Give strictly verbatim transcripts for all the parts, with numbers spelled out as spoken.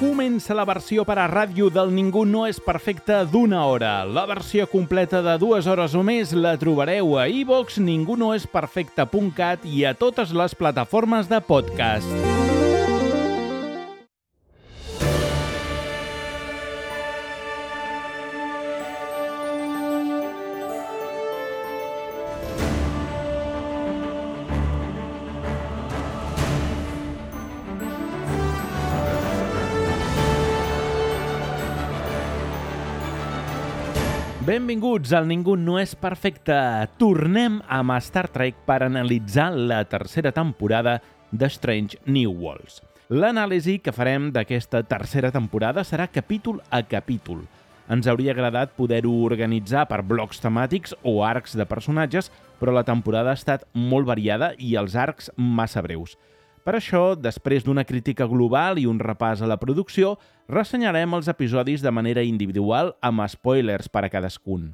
Comença la versió per a ràdio del Ningú no és perfecte d'una hora. La versió completa de dues hores o més la trobareu a iVoox, ningú no és perfecte punt cat i a totes les plataformes de podcast. Benvinguts al Ningú no és perfecte. Tornem amb Star Trek per analitzar la tercera temporada de Strange New Worlds. L'anàlisi que farem d'aquesta tercera temporada serà capítol a capítol. Ens hauria agradat poder-ho organitzar per blocs temàtics o arcs de personatges, però la temporada ha estat molt variada i els arcs massa breus. Per això, després d'una crítica global i un repàs a la producció, ressenyarem els episodis de manera individual amb spoilers per a cadascun.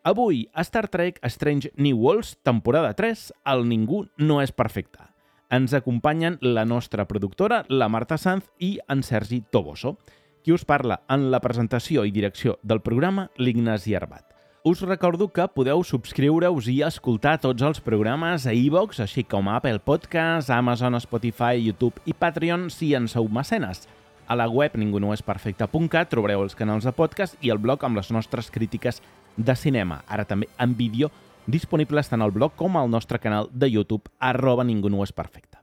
Avui, a Star Trek Strange New Worlds, temporada tres, el Ningú no és perfecte. Ens acompanyen la nostra productora, la Marta Sanz, i en Sergi Toboso. Qui us parla en la presentació i direcció del programa, l'Ignasi Arbat. Us recordo que podeu subscriure-us i escoltar tots els programes a iVoox, així com a Apple Podcasts, Amazon, Spotify, YouTube i Patreon si en sou mecenes. A la web ningú no és perfecte punt cat trobareu els canals de podcast i el blog amb les nostres crítiques de cinema, ara també en vídeo, disponibles tant al blog com al nostre canal de YouTube, arroba ningú no és perfecte.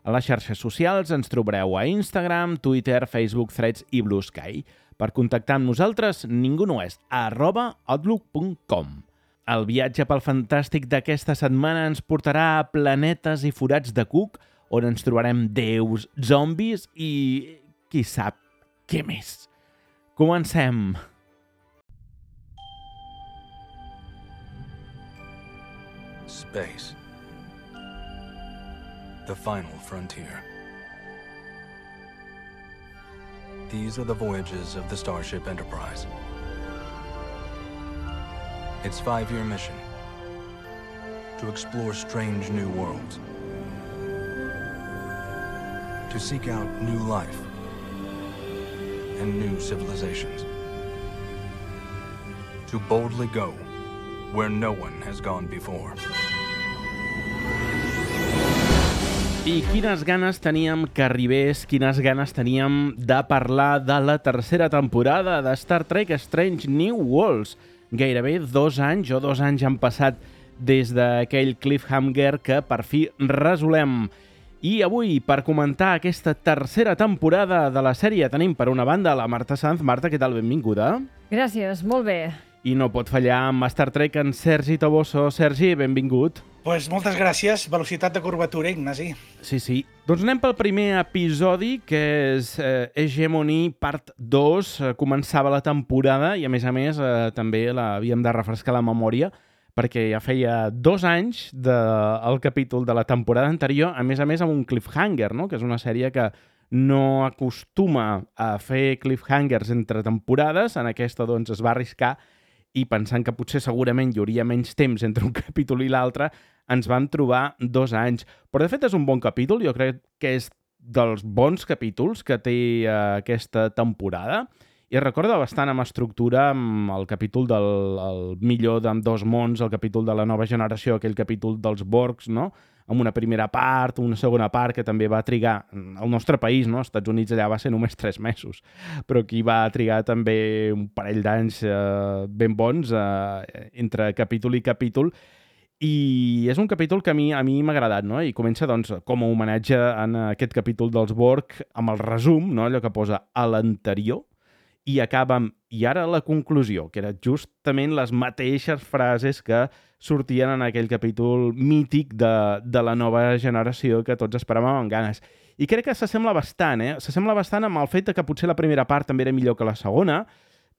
A les xarxes socials ens trobareu a Instagram, Twitter, Facebook, Threads i Blue Sky. Per contactar amb nosaltres, ningú no és, arroba outlook punt com. El viatge pel fantàstic d'aquesta setmana ens portarà a planetes i forats de cuc, on ens trobarem déus, zombis i... qui sap què més. Comencem! Space. The final frontier. These are the voyages of the Starship Enterprise. Its five-year mission: to explore strange new worlds, to seek out new life and new civilizations, to boldly go where no one has gone before. I quines ganes teníem que arribés, quines ganes teníem de parlar de la tercera temporada de Star Trek Strange New Worlds. Gairebé dos anys o dos anys han passat des d'aquell cliffhanger que per fi resolem. I avui, per comentar aquesta tercera temporada de la sèrie, tenim per una banda la Marta Sanz. Marta, què tal? Benvinguda. Gràcies, molt bé. I no pot fallar amb Star Trek en Sergi Toboso. Sergi, benvingut. Pues moltes gràcies. Velocitat de curvatura, Ignasi. Sí, sí. Doncs anem pel primer episodi, que és eh, Hegemony Part dos. Eh, començava la temporada i, a més a més, eh, també l'havíem de refrescar la memòria perquè ja feia dos anys del capítol de la temporada anterior, a més a més amb un cliffhanger, no? Que és una sèrie que no acostuma a fer cliffhangers entre temporades. En aquesta, doncs, es va arriscar i pensant que potser segurament hi hauria menys temps entre un capítol i l'altre, ens vam trobar dos anys. Però, de fet, és un bon capítol. Jo crec que és dels bons capítols que té eh, aquesta temporada. I recorda bastant amb estructura amb el capítol del el millor d'ambdós mons, el capítol de la nova generació, aquell capítol dels Borgs, no? Amb una primera part, una segona part que també va trigar al nostre país, no? Als Estats Units allà va ser només tres mesos, però aquí va trigar també un parell d'anys eh, ben bons eh, entre capítol i capítol. I és un capítol que a mi a mi m'ha agradat, no? I comença, doncs, com a homenatge en aquest capítol dels Borg amb el resum, no? Allò que posa a l'anterior, i acaba amb "i ara la conclusió", que eren justament les mateixes frases que sortien en aquell capítol mític de, de la nova generació que tots esperàvem amb ganes. I crec que s'assembla bastant, eh? S'assembla bastant amb el fet que potser la primera part també era millor que la segona,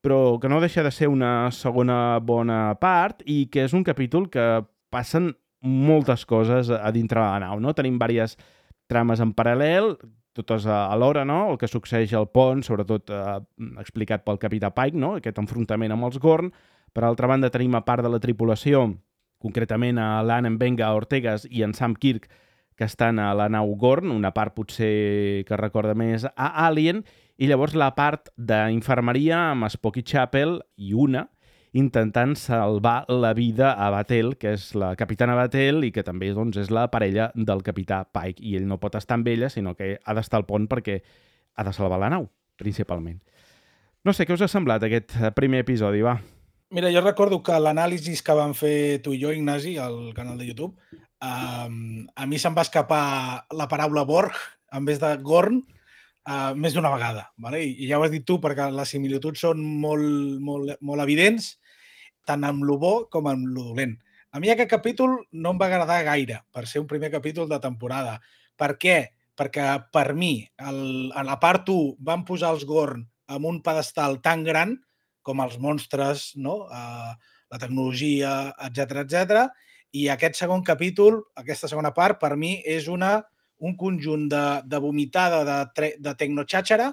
però que no deixa de ser una segona bona part i que és un capítol que passen moltes coses a dintre de la nau, no? Tenim diverses trames en paral·lel, totes alhora, no? El que succeeix al pont, sobretot eh, explicat pel capità Pike, no? Aquest enfrontament amb els Gorn. Per altra banda, tenim a part de la tripulació, concretament a l'Anne Mbenga Ortegas i en Sam Kirk, que estan a la nau Gorn, una part potser que recorda més a Alien, i llavors la part d'infermeria amb Spock i Chapel i una intentant salvar la vida a Batel, que és la capitana Batel i que també doncs, és la parella del capità Pike. I ell no pot estar amb ella, sinó que ha d'estar al pont perquè ha de salvar la nau, principalment. No sé, què us ha semblat aquest primer episodi, va? Mira, jo recordo que l'anàlisi que vam fer tu i jo, Ignasi, al canal de YouTube, um, a mi se'm va escapar la paraula Borg en vez de Gorn uh, més d'una vegada. Vale? I, I ja ho has dit tu, perquè les similituds són molt, molt, molt evidents, tant amb lo bo com amb lo dolent. A mi aquest capítol no em va agradar gaire per ser un primer capítol de temporada. Per què? Perquè per mi, el, a la part u, van posar els Gorn en un pedestal tan gran com els monstres, no? uh, la tecnologia, etcètera, etcètera. I aquest segon capítol, aquesta segona part, per mi és una, un conjunt de, de vomitada de, tre, de tecnoxàxara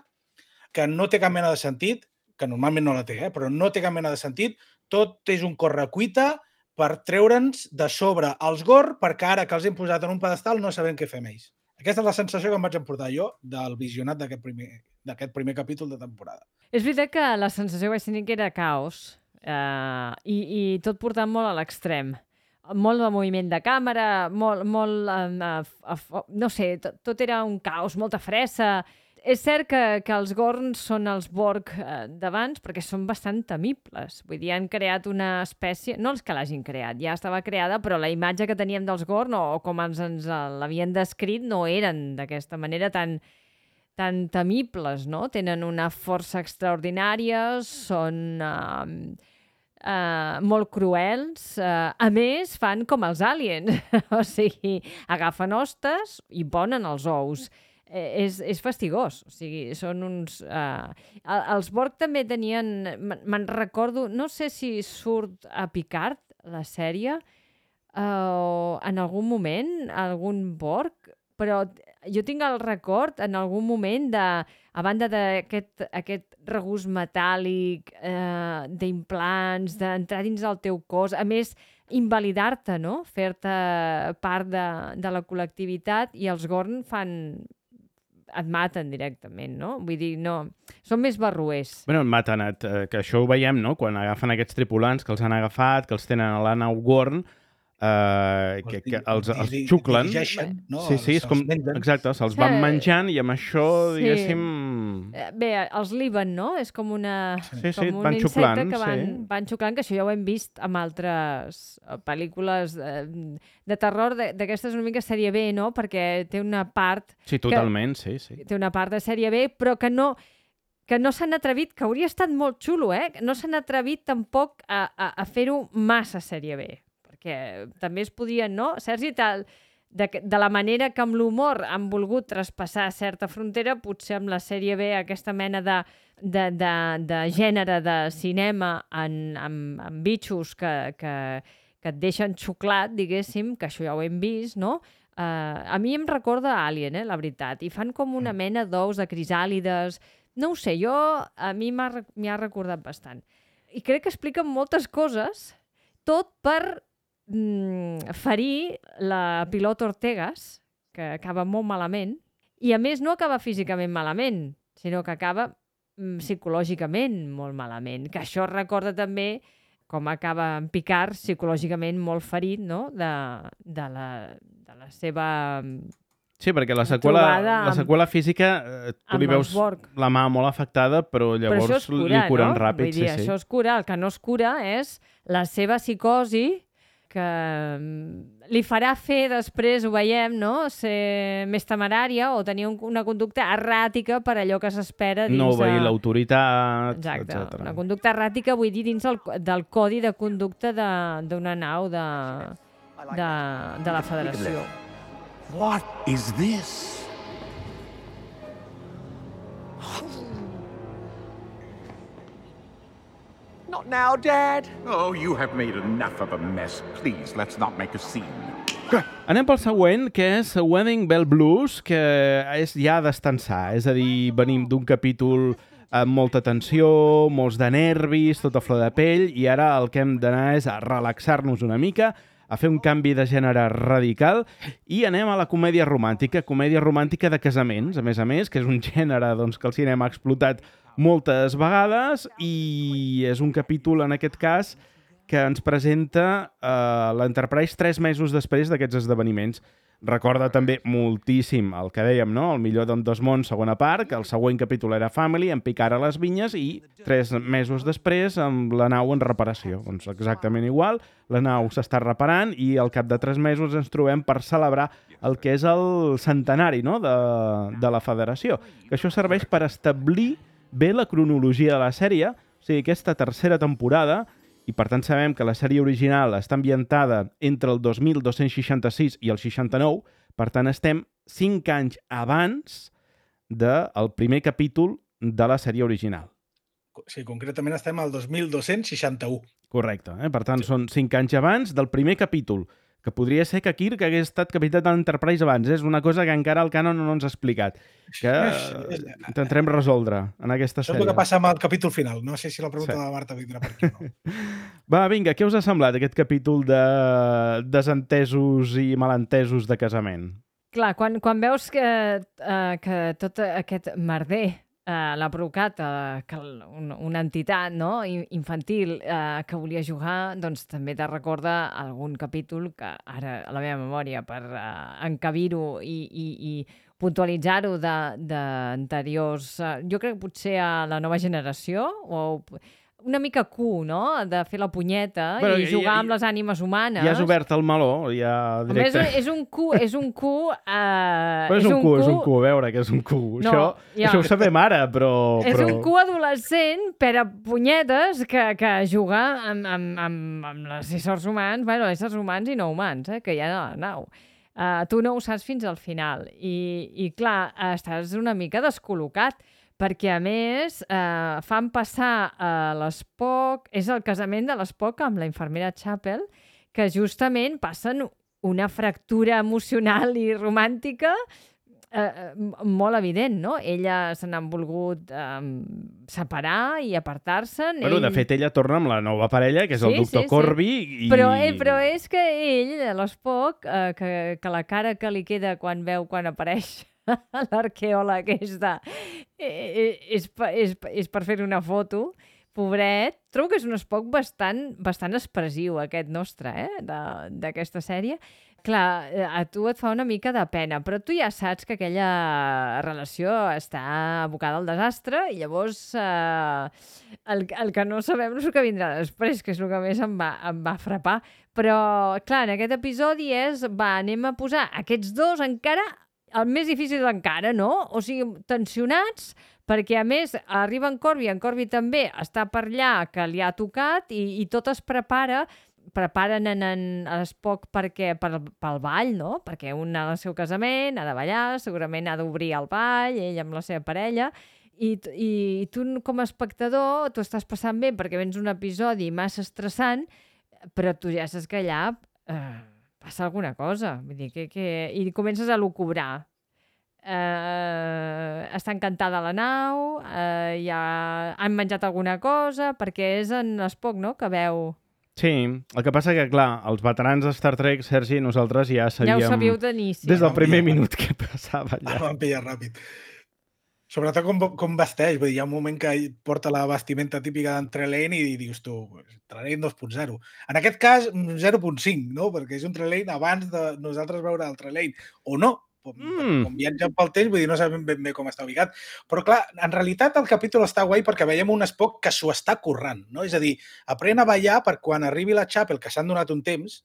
que no té cap mena de sentit, que normalment no la té, eh? Però no té cap mena de sentit. Tot és un correcuita per treure'ns de sobre els Gorn, perquè ara que els hem posat en un pedestal no sabem què fer amb ells. Aquesta és la sensació que em vaig emportar jo del visionat d'aquest primer, d'aquest primer capítol de temporada. És veritat que la sensació que vaig tenir que era caos eh, i, i tot portant molt a l'extrem. Molt de moviment de càmera, molt, molt eh, eh, no sé, tot, tot era un caos, molta fressa. És cert que, que els Gorn són els Borg eh, d'abans perquè són bastant temibles. Vull dir, han creat una espècie... No els que l'hagin creat, ja estava creada, però la imatge que teníem dels Gorn, o, o com ens, ens l'havien descrit, no eren d'aquesta manera tan, tan temibles, no? Tenen una força extraordinària, són eh, eh, molt cruels. Eh, a més, fan com els aliens. O sigui, agafen hostes i ponen els ous. Eh, és, és fastigós, o sigui, són uns... Eh, els Borg també tenien... Me'n recordo, no sé si surt a Picard, la sèrie, eh, en algun moment, algun Borg, però jo tinc el record en algun moment de, a banda d'aquest aquest regust metàl·lic, eh, d'implants, d'entrar dins el teu cos, a més, invalidar-te, no? Fer-te part de, de la col·lectivitat, i els Gorn fan... et maten directament, no? Vull dir, no... Són més barruers. Bueno, et maten, et, eh, que això ho veiem, no? Quan agafen aquests tripulants que els han agafat, que els tenen a la nau Gorn, eh, que, que els, els xuclen. No? Sí, sí, és com... Exacte, se'ls van menjant i amb això, sí. diguéssim... Bé, els liben, no? És com una... Sí, sí, com un van insecte xuclant, que van, sí. van xuclant, que això ja ho hem vist en altres pel·lícules de, de terror, d'aquestes una mica sèrie B, no? Perquè té una part... Sí, totalment, que, sí, sí. Té una part de sèrie B, però que no... que no s'han atrevit, que hauria estat molt xulo, eh? No s'han atrevit tampoc a, a, a fer-ho massa sèrie B, perquè també es podien, no? Sergi, tal, de, de la manera que amb l'humor han volgut traspassar certa frontera, potser amb la sèrie B, aquesta mena de, de, de, de gènere de cinema en, amb, amb bitxos que, que, que et deixen xuclat, diguéssim, que això ja ho hem vist, no? Uh, a mi em recorda Alien, eh, la veritat, i fan com una mena d'ous de crisàlides. No ho sé, jo, a mi m'ha ha recordat bastant. I crec que expliquen moltes coses, tot per mm, ferir la pilot Ortegas, que acaba molt malament, i a més no acaba físicament malament, sinó que acaba mm, psicològicament molt malament, que això recorda també com acaba en Picard psicològicament molt ferit, no?, de, de, la, de la seva... Sí, perquè la seqüela, la seqüela física, eh, tu li veus la mà molt afectada, però llavors però cura, li curen no? ràpid. Vull dir, sí, això sí. es cura. El que no es cura és la seva psicosi, que li farà fer després, ho veiem, no? Ser més temerària o tenir un, una conducta erràtica per allò que s'espera dins... No obeir de... l'autoritat, Exacte. etcètera. Una conducta erràtica, vull dir, dins el, del codi de conducta d'una nau de, de, de la Federació. What is this? Not now, Dad. Oh, you have made enough of a mess. Please, let's not make a scene. Anem pel següent, que és Wedding Bell Blues, que és ja d'estensar. És a dir, venim d'un capítol amb molta tensió, molts de nervis, tota flor de pell, i ara el que hem d'anar és a relaxar-nos una mica, a fer un canvi de gènere radical i anem a la comèdia romàntica, comèdia romàntica de casaments, a més a més, que és un gènere doncs, que el cinema ha explotat moltes vegades i és un capítol, en aquest cas, que ens presenta eh, l'Enterprise tres mesos després d'aquests esdeveniments. Recorda també moltíssim el que dèiem, no? El millor d'Ambdós mons, segona part, que el següent capítol era Family, en picar a les vinyes, i tres mesos després amb la nau en reparació. Doncs exactament igual, la nau s'està reparant i al cap de tres mesos ens trobem per celebrar el que és el centenari, no? de, de la Federació. Que això serveix per establir bé la cronologia de la sèrie, o sigui, aquesta tercera temporada, i per tant sabem que la sèrie original està ambientada entre el dos mil dos-cents seixanta-sis i el seixanta-nou, per tant estem cinc anys abans del primer capítol de la sèrie original. Sí, concretament estem al dos mil dos-cents seixanta-u. Correcte, eh? Per tant Sí. són cinc anys abans del primer capítol, que podria ser que Kirk hagués estat capità de l'Enterprise abans. És una cosa que encara el canon no ens ha explicat, que intentarem resoldre en aquesta Això és sèrie. el que passa amb el capítol final. No sé si la pregunta Sí. de la Marta vindrà per aquí o no. Va, vinga, què us ha semblat aquest capítol de desentesos i malentesos de casament? Clar, quan, quan veus que, uh, que tot aquest merder uh, l'ha provocat uh, que el- un, una entitat no? in- infantil uh, que volia jugar, doncs també te recorda algun capítol que ara a la meva memòria, per uh, encabir-ho i, i, i puntualitzar-ho de- d'anteriors, uh, jo crec que potser a la nova generació, o una mica Q, no?, de fer la punyeta Bueno, i ja- jugar ja- amb les ànimes humanes. Ja has obert el meló, ja Home, és, directe. és un Q, és un Q... Uh, Però és un Q, és un Q, a veure que és un Q. No, això, ja. això ho sabem ara, però... És però... un Q adolescent per a punyetes que, que juga amb, amb, amb, amb els éssers humans, bueno, éssers humans i no humans, eh, que hi ha a la nau. Uh, tu no ho saps fins al final. I, i clar, estàs una mica descol·locat, perquè a més eh, fan passar a l'Spock, és el casament de l'Spock amb la infermera Chapel, que justament passen una fractura emocional i romàntica eh, molt evident, no? Ella se n'han volgut eh, separar i apartar-se'n. Bueno, de ell... fet, ella torna amb la nova parella, que és el Sí, doctor sí, sí. Corby. I... Però, eh, però és que ell, l'Spock, eh, que, que la cara que li queda quan veu quan apareix l'arqueòleg aquesta eh, és, pa- és, és per fer una foto, pobret. Trobo que és un Spock bastant, bastant expressiu, aquest nostre, eh, de- d'aquesta sèrie. Clar, eh, a tu et fa una mica de pena, però tu ja saps que aquella relació està abocada al desastre i llavors eh, el, el que no sabem és el que vindrà després, que és el que més em va, em va frapar. Però, clar, en aquest episodi és, va, anem a posar aquests dos encara, el més difícil encara, no? O sigui, tensionats, perquè a més arriba en Corby, en Corby també està per allà, que li ha tocat, i, i tot es prepara, preparen en, en l'Spock perquè, per, pel ball, no? Perquè un ha del seu casament, ha de ballar, segurament ha d'obrir el ball, ell amb la seva parella, i, t- i, i tu com a espectador t'ho estàs passant bé perquè vens un episodi massa estressant, però tu ja saps que allà eh, passa alguna cosa. Vull dir, que, que... I comences a lucubrar. Eh, està encantada la nau, eh, ja han menjat alguna cosa, perquè és en l'Spock, no?, que veu... Sí, el que passa que, clar, els veterans de Star Trek, Sergi, nosaltres ja sabíem... Ja ho sabíeu d'inici. Des del Vam primer pillar. minut que passava Ah, allà. van pillar ràpid. Sobretot com, com vesteix. Vull dir, hi ha un moment que ell porta la vestimenta típica d'Entrelane i dius tu, Trelane dos punt zero. En aquest cas, zero punt cinc, no? Perquè és un Trelane abans de nosaltres veure el Trelane. O no, com, Mm. com viatgen pel temps, vull dir, no sabem ben bé com està ubicat. Però clar, en realitat el capítol està guai perquè veiem un Spock que s'ho està currant, no? És a dir, aprèn a ballar per quan arribi la Chapel, que s'han donat un temps,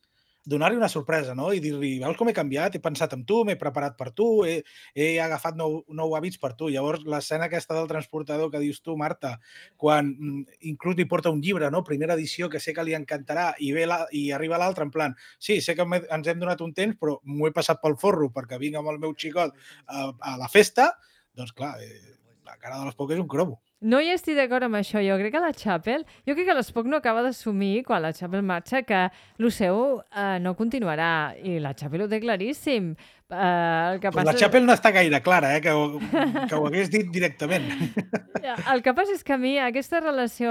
donar-li una sorpresa, no? I dir-li, veus com he canviat, he pensat en tu, m'he preparat per tu, he, he agafat nou, nou hàbits per tu. Llavors, l'escena aquesta del transportador que dius tu, Marta, quan mm, inclús li porta un llibre, no? Primera edició, que sé que li encantarà, i, ve la, i arriba l'altre en plan, sí, sé que m'he- ens hem donat un temps, però m'ho he passat pel forro perquè vinc amb el meu xicot a, a la festa, doncs clar, eh, la cara de l'Spock és un cromo. No hi estic d'acord amb això. Jo crec que la Chapel... Jo crec que l'Spock no acaba d'assumir, quan la Chapel marxa, que el seu eh, no continuarà. I la Chapel ho té claríssim. Uh, el que Pues passa... la Chapel no està gaire clara, eh? que, ho, que ho hagués dit directament. El que passa és que a mi aquesta relació...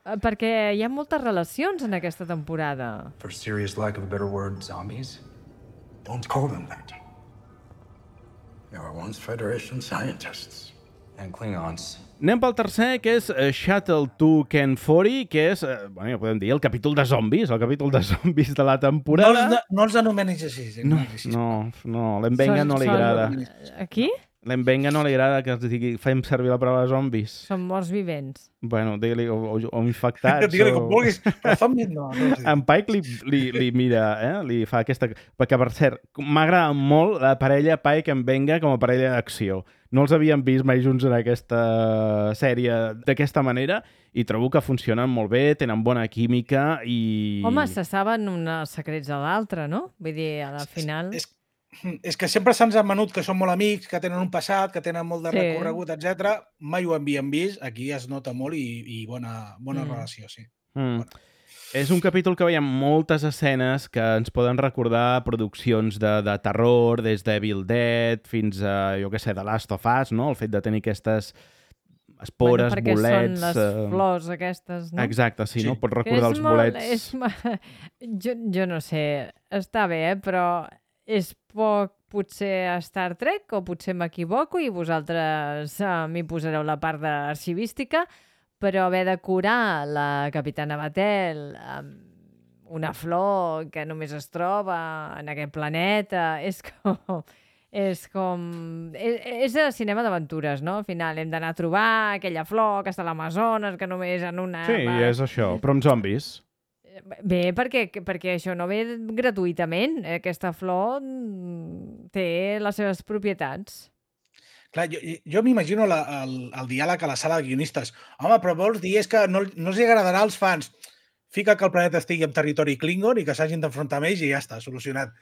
eh, Perquè hi ha moltes relacions en aquesta temporada. For serious lack of a better word, zombies? Don't call them that. They were once Federation scientists. And Klingons. Anem pel tercer, que és uh, Shuttle to Ken forty, que és, uh, bueno, ja podem dir, el capítol de zombis, el capítol de zombis de la No temporada. els, no els anomenis així. No, Ignaci, no, no, l'Embenga Són- no li són- agrada. Aquí? L'Embenga no li agrada que els digui, fem servir la paraula zombis. Són morts vivents. Bueno, digue-li, o, o, o infectats. Digue-li o... com vulguis, però zombis no. no els dic. En Pike li, li, li mira, eh? Li fa aquesta... Perquè, per cert, m'agrada molt la parella Pike-Mbenga com a parella d'acció. No els havíem vist mai junts en aquesta sèrie d'aquesta manera i trobo que funcionen molt bé, tenen bona química i... Home, se saben uns secrets de l'altre, no? Vull dir, al final... És, és que sempre se'ns ha menut que són molt amics, que tenen un passat, que tenen molt de Sí. recorregut, etcètera. Mai ho havíem vist, aquí es nota molt i, i bona, bona Mm. relació, sí. Mm. És un capítol que veiem moltes escenes que ens poden recordar produccions de, de terror, des d'Evil Dead fins a, jo què sé, The Last of Us, no? El fet de tenir aquestes espores, perquè bolets... són les eh, flors aquestes, no? Exacte, sí, Sí. no? Pots Que recordar és els molt- bolets... És... ma- Jo, jo no sé, està bé, eh? Però és poc potser a Star Trek o potser m'equivoco i vosaltres eh, m'hi posareu la part d'arxivística, però haver de curar la capitana Batel amb una flor que només es troba en aquest planeta, és com... És com... És, és de cinema d'aventures, no? Al final hem d'anar a trobar aquella flor que està a l'Amazones, que només en una... Sí, és això, però amb zombis. Bé, perquè, perquè això no ve gratuïtament. Aquesta flor mm, té les seves propietats. Clar, jo, jo m'imagino la, el, el diàleg a la sala de guionistes. Home, però vols dir és que no, no els agradarà als fans. Fica que el planeta estigui en territori Klingon i que s'hagin d'enfrontar amb ells i ja està, solucionat.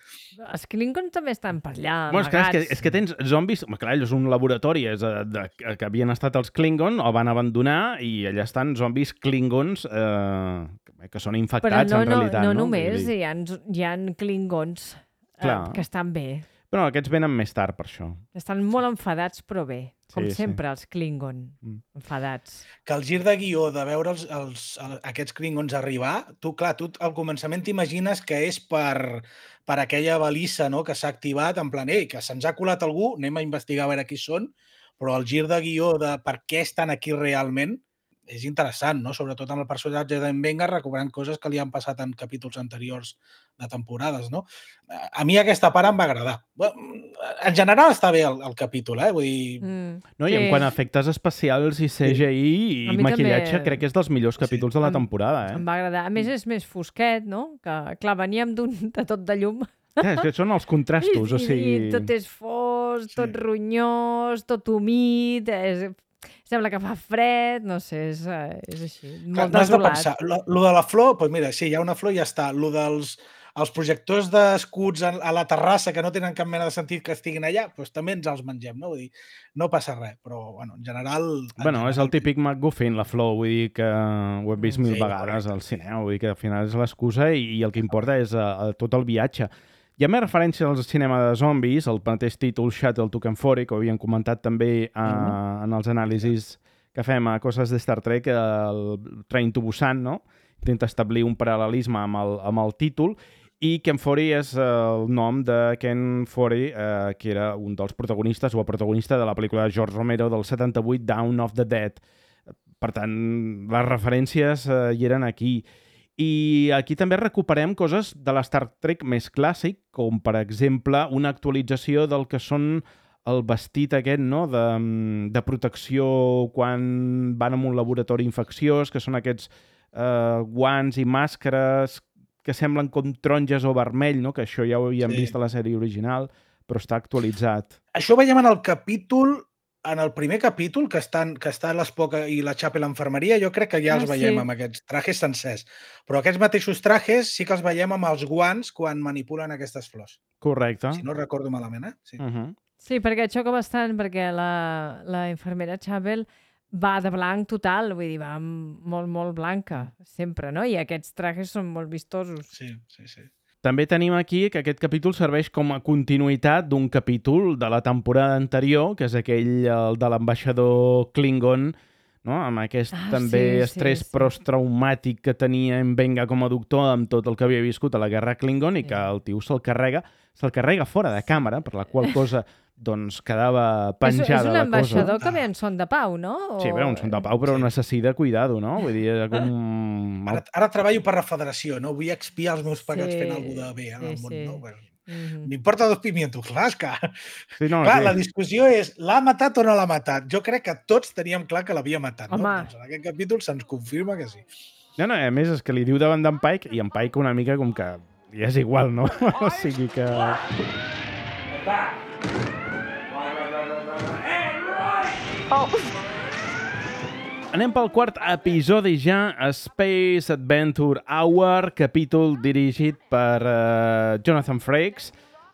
Els Klingons també estan per allà, Bueno, és, clar, és, que, amagats. és que tens zombis... Home, clar, és un laboratori és, de, de, que havien estat els Klingon, o van abandonar, i allà estan zombis Klingons eh, que són infectats, Però no, en realitat. no, No, no només, Vull dir- hi ha, hi ha Klingons eh, Clar. que estan bé. Però aquests venen més tard, per això. Estan molt enfadats, però bé. Com Sí, sí. sempre, els Klingon. Mm. Enfadats. Que el gir de guió de veure els, els, el, aquests Klingons arribar, tu, clar, tu al començament t'imagines que és per, per aquella balissa, no?, que s'ha activat, en plan, ei, que se'ns ha colat algú, anem a investigar a veure qui són, però el gir de guió de per què estan aquí realment és interessant, no?, sobretot amb el personatge d'en Benga recobrant coses que li han passat en capítols anteriors de temporades, no? A mi aquesta part em va agradar. En general està bé el, el capítol, eh? Vull dir... Mm. No, I en quant a efectes especials i C G I A i mi maquillatge, també. crec que és dels millors capítols de la Em- temporada, eh? Em va agradar. A més, és més fosquet, no? Que, clar, veníem d'un de tot de llum. Ja, és que són els contrastos, o I, sigui... I tot és fos, tot Sí. ronyós, tot humit, és... sembla que fa fred, no sé, és, eh, és així, Clar, molt no has de desolat. pensar. Lo, lo de la flor, doncs mira, sí, hi ha una flor i ja està. Lo dels els projectors d'escuts a, a la terrassa que no tenen cap mena de sentit que estiguin allà, doncs també ens els mengem, no? Vull dir, no passa res, però, bueno, en general... En Bueno, és el general, típic MacGuffin, la flor, vull dir que ho hem vist Mm, mil sí, vegades al cinema, vull dir que al final és l'excusa i, i el que importa és uh, tot el viatge. Hi ha més referència al cinema de zombis, el mateix títol Shuttle to Ken forty, que ho havíem comentat també uh, Mhm. en els anàlisis que fem a coses de Star Trek, el Train to Busan, no? Intenta establir un paral·lelisme amb el, amb el títol, i Ken forty és eh, el nom de Ken forty, eh, que era un dels protagonistes, o el protagonista de la pel·lícula de George Romero del setanta-vuit, Dawn of the Dead. Per tant, les referències eh, hi eren aquí. I aquí també recuperem coses de l'Star Trek més clàssic, com per exemple una actualització del que són el vestit aquest, no?, de, de protecció quan van a un laboratori infecciós, que són aquests eh, guants i màscares que semblen com taronges o vermell, no?, que això ja ho havíem Sí. vist a la sèrie original, però està actualitzat. Això ho veiem en el capítol, en el primer capítol, que estan, que està l'Spock i la Chapel a l'infermeria, jo crec que ja Ah, els veiem sí. amb aquests trajes sencers. Però aquests mateixos trajes sí que els veiem amb els guants quan manipulen aquestes flors. Correcte. Si no recordo malament, eh? Sí. Uh -huh. Sí, perquè xoca bastant, perquè la, la infermera Chapel va de blanc total, vull dir, va molt, molt blanca, sempre, no? I aquests trajes són molt vistosos. Sí, sí, sí. També tenim aquí que aquest capítol serveix com a continuïtat d'un capítol de la temporada anterior, que és aquell el de l'ambaixador Klingon, no? Amb aquest Ah, també sí, sí, estrès sí. postraumàtic que tenia en Venga com a doctor amb tot el que havia viscut a la guerra Klingon i que el tio se'l carrega, se'l carrega fora de càmera, per la qual cosa doncs quedava És, penjada és un la cosa. ambaixador que ve en son de pau, no? O... Sí, bé, un son de pau, però Sí. necessita cuidado, no? Vull dir, com... Ara, ara treballo per la federació, no? Vull expiar els meus pecats Sí, fent alguna cosa bé en el sí, món, sí. no? Bueno, Mhm. m'importa dos pimientos, clar, és que... Sí, no, clar, sí. la discussió és, l'ha matat o no l'ha matat? Jo crec que tots teníem clar que l'havia matat, no? Home. Doncs en aquest capítol se'ns confirma que sí. No, no, a més és que li diu davant d'en Pike i en Pike una mica com que li és igual, no? O sigui que... Anem pel quart episodi ja, Space Adventure Hour, capítol dirigit per uh, Jonathan Frakes,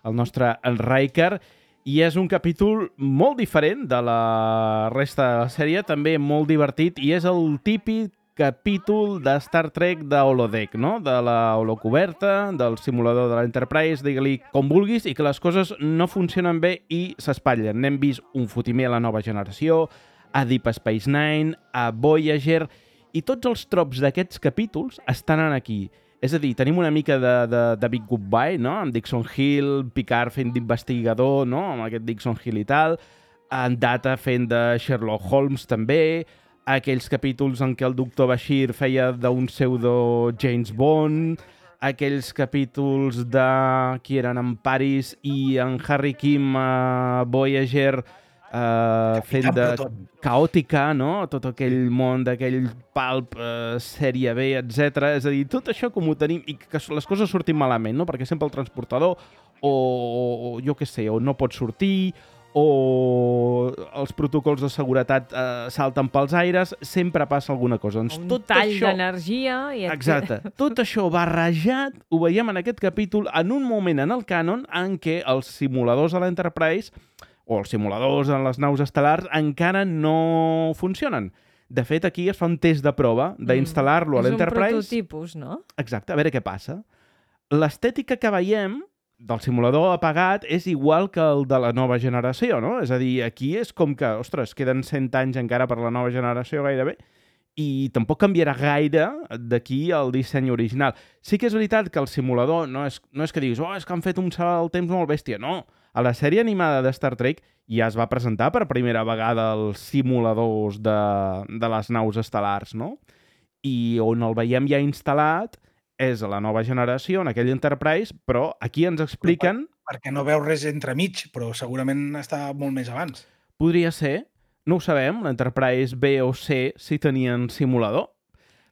el nostre Riker, i és un capítol molt diferent de la resta de la sèrie, també molt divertit, i és el típic capítol de Star Trek de holodeck, no? De la holocoberta, del simulador de l'Enterprise, digue-li com vulguis, i que les coses no funcionen bé i s'espatllen. N'hem vist un fotimer a la nova generació, a Deep Space Nine, a Voyager, i tots els trops d'aquests capítols estan aquí. És a dir, tenim una mica de, de, de Big Goodbye, no? Amb Dixon Hill, Picard fent d'investigador, no? Amb aquest Dixon Hill i tal, en Data fent de Sherlock Holmes també, aquells capítols en què el doctor Bashir feia d'un pseudo James Bond, aquells capítols de qui eren en Paris i en Harry Kim a Voyager, Uh, fent de Proton. caòtica, no? Tot aquell món d'aquell pulp, uh, sèrie B, etcètera. És a dir, tot això com ho tenim i que les coses surtin malament, no? Perquè sempre el transportador o, o jo què sé, o no pot sortir o els protocols de seguretat uh, salten pels aires, sempre passa alguna cosa. Doncs Un tot tall això... d'energia i... et- Exacte. Tot això barrejat ho veiem en aquest capítol en un moment en el cànon en què els simuladors de l'Enterprise o els simuladors en les naus estel·lars encara no funcionen. De fet, aquí es fa un test de prova d'instal·lar-lo a És un l'Enterprise. prototipus, no? Exacte, a veure què passa. L'estètica que veiem del simulador apagat és igual que el de la nova generació, no? És a dir, aquí és com que, ostres, queden cent anys encara per la nova generació gairebé, i tampoc canviarà gaire d'aquí al disseny original. Sí que és veritat que el simulador no és, no és que diguis, oh, és que han fet un salt al temps molt bèstia. No, a la sèrie animada de Star Trek ja es va presentar per primera vegada els simuladors de, de les naus estel·lars, no? I on el veiem ja instal·lat és a la nova generació, en aquell Enterprise, però aquí ens expliquen... Perquè no veus res entremig, però segurament està molt més abans. Podria ser, no ho sabem, l'Enterprise B o C si tenien simulador.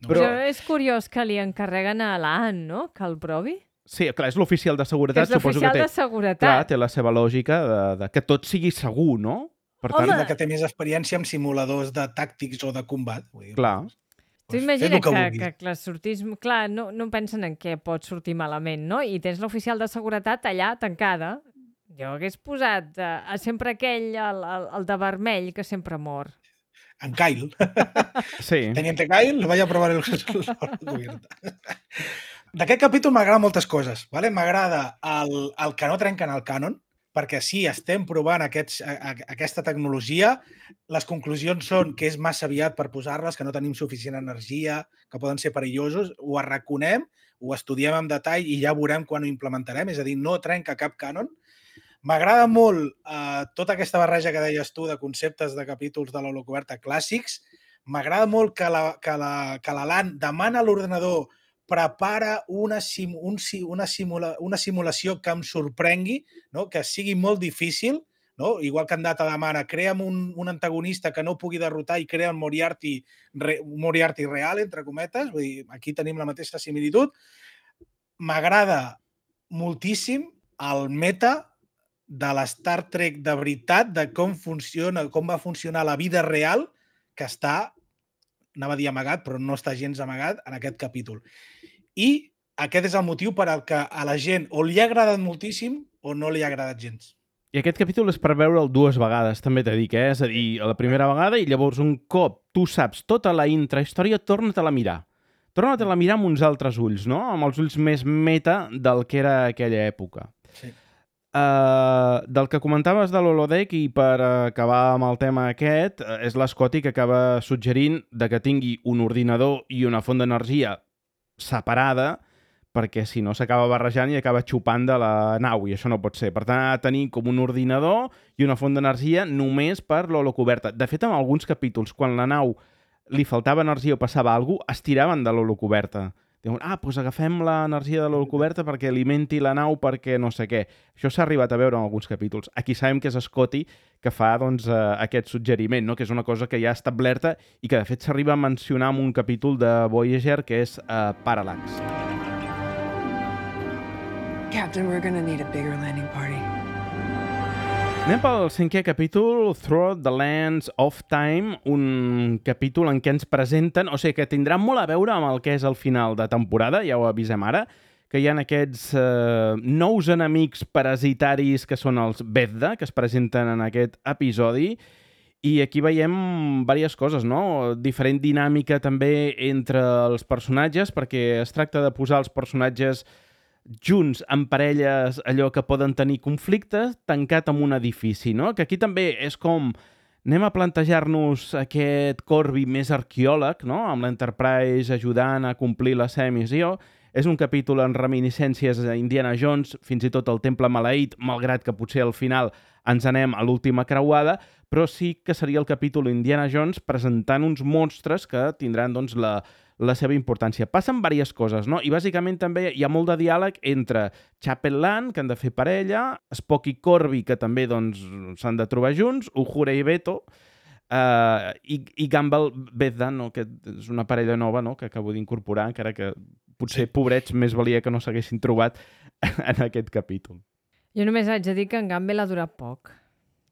No Però- Però és curiós que li encarreguen a l'Anne, no?, que el provi. Sí, clar, és l'oficial de Que seguretat, és suposo que l'oficial té... de seguretat. Clar, té la seva lògica de, de que tot sigui segur, no? Per tant, Home! Que té més experiència amb simuladors de tàctics o de combat. Vull dir, clar. Tu doncs, imagina fes el que, vulguis. que, que sortís... Clar, no, no pensen en què pot sortir malament, no? I tens l'oficial de seguretat allà, tancada. Jo hagués posat uh, sempre aquell, el, el, el de vermell, que sempre mor. En Kyle. Sí. Teniente Kyle, vaya a probar el cubierta. D'aquest capítol m'agrada moltes coses. Vale? M'agrada el, el que no trenquen el cànon, perquè sí, estem provant aquests, a, a, aquesta tecnologia, les conclusions són que és massa aviat per posar-les, que no tenim suficient energia, que poden ser perillosos, ho arraconem, ho estudiem en detall i ja veurem quan ho implementarem, és a dir, no trenca cap cànon. M'agrada molt eh, tota aquesta barreja que deies tu de conceptes de capítols de l'holocoberta clàssics. M'agrada molt que la, que la, que la LAN demana a l'ordenador prepara una, sim, un, una, simula, una simulació que em sorprengui, no? Que sigui molt difícil, no? Igual que en Data demana, crea'm un, un antagonista que no pugui derrotar i crea un Moriarty, re, un Moriarty real, entre cometes. Vull dir, aquí tenim la mateixa similitud. M'agrada moltíssim el meta de l'Star Trek de veritat, de com funciona, com va funcionar la vida real, que està, anava a dir amagat, però no està gens amagat en aquest capítol. I aquest és el motiu per al que a la gent o li ha agradat moltíssim o no li ha agradat gens. I aquest capítol és per veure'l dues vegades, també t'he dit, eh? És a dir, a la primera vegada i llavors un cop tu saps tota la intrahistòria, torna-te-la a mirar. torna-te-la a mirar amb uns altres ulls, no? Amb els ulls més meta del que era aquella època. Sí. Uh, del que comentaves de l'holodeck, i per acabar amb el tema aquest, uh, és l'Scotty que acaba suggerint de que tingui un ordinador i una font d'energia separada, perquè si no s'acaba barrejant i acaba xupant de la nau, i això no pot ser. Per tant, ha de tenir com un ordinador i una font d'energia només per l'holocoberta. De fet, en alguns capítols, quan la nau li faltava energia o passava alguna cosa, es tiraven de l'holocoberta. Diuen, ah, doncs agafem l'energia de l'holocoberta perquè alimenti la nau perquè no sé què. Això s'ha arribat a veure en alguns capítols. Aquí sabem que és Scotty que fa doncs, eh, aquest suggeriment, no? Que és una cosa que ja ha establerta i que de fet s'arriba a mencionar en un capítol de Voyager que és eh, Parallax. Captain, we're gonna need a bigger landing party. Anem pel cinquè capítol, Through the Lands of Time, un capítol en què ens presenten, o sigui, que tindrà molt a veure amb el que és el final de temporada, ja ho avisem ara, que hi ha aquests eh, nous enemics parasitaris que són els Bethda, que es presenten en aquest episodi, i aquí veiem diverses coses, no? Diferent dinàmica també entre els personatges, perquè es tracta de posar els personatges junts en parelles, allò que poden tenir conflictes, tancat en un edifici, no? Que aquí també és com anem a plantejar-nos aquest Corby més arqueòleg, no? Amb l'Enterprise ajudant a complir la seva missió. És un capítol en reminiscències a Indiana Jones, fins i tot el Temple Maleït, malgrat que potser al final ens anem a l'última creuada, però sí que seria el capítol Indiana Jones presentant uns monstres que tindran doncs, la, la seva importància. Passen diverses coses, no? I bàsicament també hi ha molt de diàleg entre Chapel Land, que han de fer parella, Spock i Corby, que també doncs, s'han de trobar junts, Uhura i Beto, uh, i, i Gamble Bethda, no? Que és una parella nova, no? Que acabo d'incorporar, encara que potser, pobrets, més valia que no s'haguessin trobat en aquest capítol. Jo només haig de dir que en Gamble ha durat poc.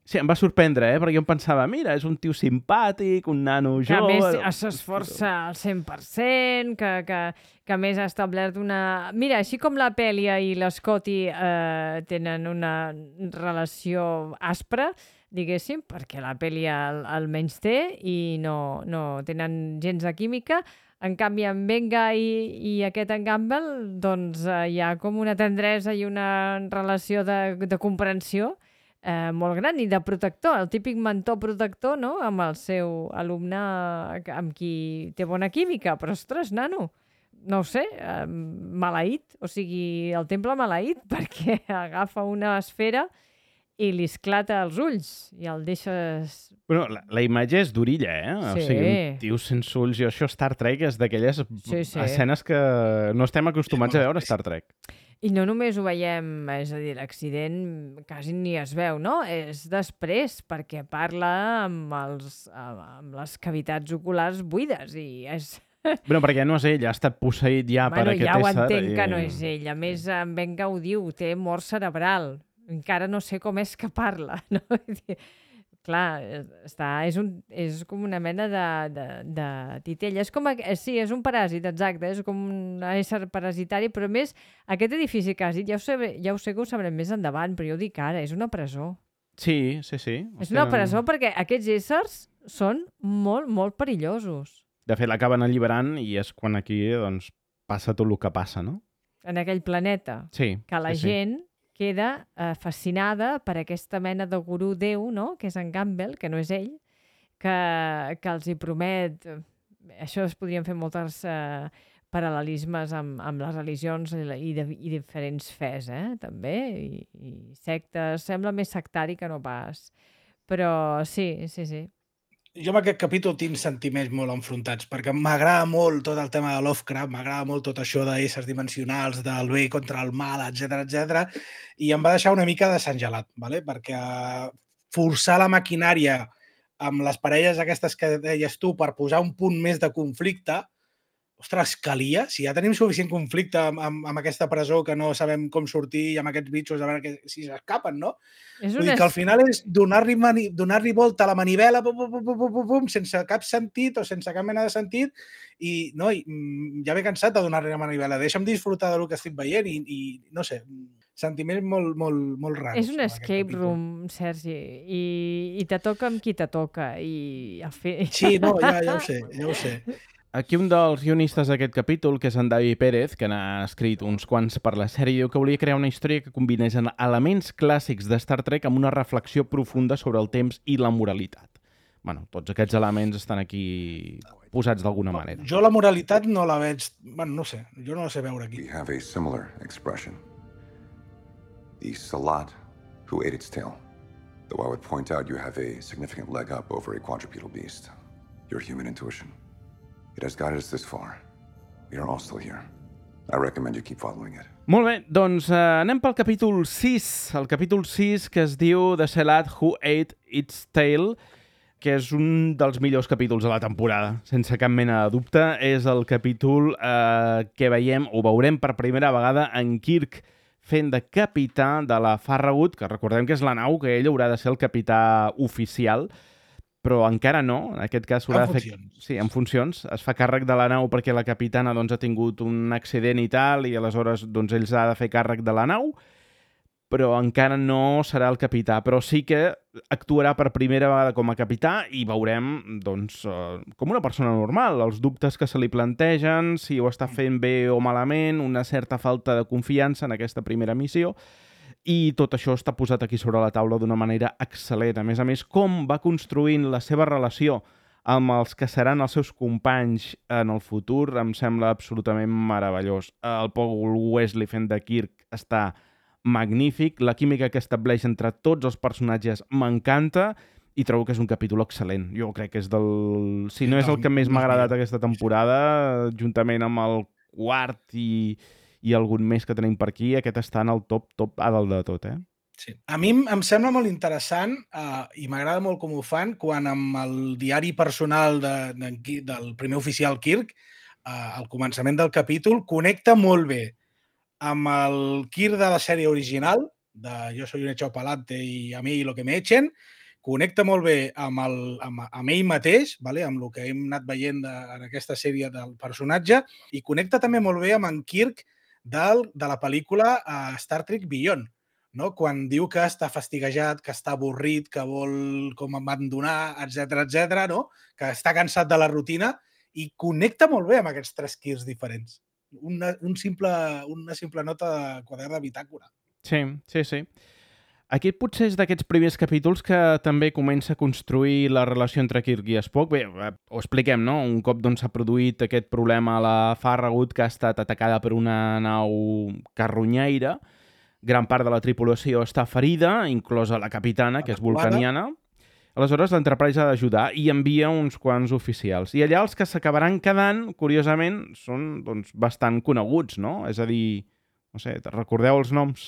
Sí, em va sorprendre, eh? Perquè jo em pensava, mira, és un tio simpàtic, un nano Que a jove... més s'esforça al cent per cent, que, que, que a més ha establert una... Mira, així com la Pèlia i l'Scotty eh, tenen una relació aspra, diguéssim, perquè la Pèlia el, el menys té i no, no tenen gens de química, en canvi, en Venga i, i aquest en Gamble, doncs eh, hi ha com una tendresa i una relació de, de comprensió eh, molt gran i de protector, el típic mentor protector, no?, amb el seu alumne amb qui té bona química, però ostres, nano, no ho sé, eh, maleït, o sigui, el temple maleït, perquè agafa una esfera i li esclata els ulls i el deixes... Bueno, la, la imatge és durilla, eh? Sí. O sigui, un tio sense ulls, i això Star Trek és d'aquelles Sí, sí. escenes que no estem acostumats a veure a Star Trek. I no només ho veiem, és a dir, l'accident quasi ni es veu, no? És després, perquè parla amb, els, amb les cavitats oculars buides i és... Bueno, perquè no és ell, ha estat posseït ja bueno, per aquest ja ho ésser. entenc i... que no és ell. A més, en Venga ho diu, té mort cerebral. Encara no sé com és que parla, no? Clar, està, és, un, és com una mena de, de, de titella. És com, sí, és un paràsit, exacte, és com un ésser parasitari, però a més, aquest edifici que has dit, ja ho sé, ja ho sé que ho sabrem més endavant, però jo ho dic ara, és una presó. Sí, sí, sí. És una presó perquè aquests éssers són molt, molt perillosos. De fet, l'acaben alliberant i és quan aquí doncs, passa tot el que passa, no? En aquell planeta. Sí. Que la sí, gent... Sí. queda eh, fascinada per aquesta mena de gurú déu, no?, que és en Gamble, que no és ell, que, que els hi promet... Això es podrien fer moltes eh, paral·lelismes amb, amb les religions i, i, de, i diferents fes, eh?, també, i, i sectes. Sembla més sectari que no pas. Però sí, sí, sí. Jo amb aquest capítol tinc sentiments molt enfrontats, perquè m'agrada molt tot el tema de Lovecraft, m'agrada molt tot això d'éssers dimensionals, del bé contra el mal, etcètera, etcètera, i em va deixar una mica desengelat, ¿vale? Perquè forçar la maquinària amb les parelles aquestes que deies tu per posar un punt més de conflicte, ostres, calia? Si ja tenim suficient conflicte amb, amb, amb aquesta presó que no sabem com sortir i amb aquests bitxos a veure que, si s'escapen, no? És Vull dir que al final és donar-li donar volta a la manivela pum, pum, pum, pum, pum, pum, sense cap sentit o sense cap mena de sentit i, no, i ja m'he cansat de donar-li la manivela. Deixa'm disfrutar del que estic veient i, i no sé, sentiments molt, molt, molt raros. És un escape room, Sergi, i, i te toca amb qui te toca. I, a fer... Sí, no, ja, ja ho sé, ja ho sé. Aquí un dels guionistes d'aquest capítol, que és en David Pérez, que n'ha escrit uns quants per la sèrie, diu que volia crear una història que combinés elements clàssics de Star Trek amb una reflexió profunda sobre el temps i la moralitat. Bueno, tots aquests elements estan aquí posats d'alguna manera. Jo la moralitat no la veig... Bueno, no sé, jo no la sé veure aquí. We have a similar expression. The Salat who ate its tail. Though I would point out you have a significant leg up over a quadrupedal beast. Your human intuition. It has guided us this far. We are all still here. I recommend you keep following it. Molt bé, doncs uh, anem pel capítol sis. El capítol sis, que es diu The Salat Who Ate Its Tail, que és un dels millors capítols de la temporada, sense cap mena de dubte. És el capítol eh, que veiem, o veurem per primera vegada, en Kirk fent de capità de la Farragut, que recordem que és la nau que ell haurà de ser el capità oficial, però encara no. En aquest cas haurà de fer... Sí, en funcions. Es fa càrrec de la nau perquè la capitana doncs, ha tingut un accident i tal, i aleshores doncs, ells ha de fer càrrec de la nau, però encara no serà el capità, però sí que actuarà per primera vegada com a capità i veurem, doncs, uh, com una persona normal, els dubtes que se li plantegen, si ho està fent bé o malament, una certa falta de confiança en aquesta primera missió, i tot això està posat aquí sobre la taula d'una manera excel·lent. A més a més, com va construint la seva relació amb els que seran els seus companys en el futur, em sembla absolutament meravellós. El Paul Wesley fent de Kirk està magnífic, la química que estableix entre tots els personatges m'encanta i trobo que és un capítol excel·lent. Jo crec que és del... Si no és el que més m'ha agradat aquesta temporada, juntament amb el quart i, i algun més que tenim per aquí, aquest està en el top, top a dalt de tot, eh? Sí. A mi em sembla molt interessant uh, i m'agrada molt com ho fan quan amb el diari personal de, de, del primer oficial Kirk, uh, al començament del capítol, connecta molt bé amb el Kirk de la sèrie original, de Jo soy un echado pa'lante i a mi lo que me echen, connecta molt bé amb, el, amb, amb ell mateix, vale? Amb el que hem anat veient de, en aquesta sèrie del personatge, i connecta també molt bé amb en Kirk del, de la pel·lícula uh, Star Trek Beyond, no? Quan diu que està fastiguejat, que està avorrit, que vol com abandonar, etcètera, etcètera, no? Que està cansat de la rutina, i connecta molt bé amb aquests tres Kirks diferents. Una, un simple, una simple nota de quadern de bitàcora. Sí, sí, sí. Aquest potser és d'aquests primers capítols que també comença a construir la relació entre Kirk i Spock. Bé, ho expliquem, no? Un cop doncs, s'ha produït aquest problema a la Farragut, que ha estat atacada per una nau carronyaire. Gran part de la tripulació està ferida, inclosa la capitana, que és vulcaniana. Aleshores, l'Enterprise ha d'ajudar i envia uns quants oficials. I allà els que s'acabaran quedant, curiosament, són doncs, bastant coneguts, no? És a dir, no sé, recordeu els noms?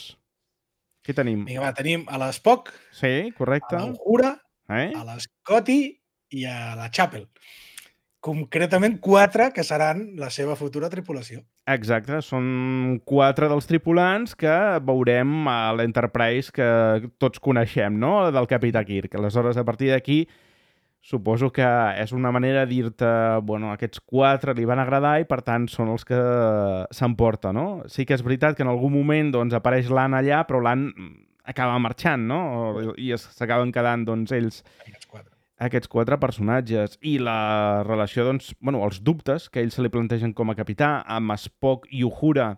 Què tenim? Vinga, va, tenim a l'Spock, sí, correcte. a l'Uhura, eh? a l'Scotty i a la Chapel. Concretament quatre que seran la seva futura tripulació. Exacte, són quatre dels tripulants que veurem a l'Enterprise que tots coneixem, no? Del Capità Kirk. Aleshores, a partir d'aquí, suposo que és una manera de dir-te, bueno, aquests quatre li van agradar i, per tant, són els que s'emporta, no? Sí que és veritat que en algun moment doncs, apareix l'Anne allà, però l'Anne acaba marxant, no? I s'acaben quedant, doncs, ells... Aquests quatre. aquests quatre personatges i la relació, doncs, bueno, els dubtes que ells se li plantegen com a capità, amb Spock i Uhura,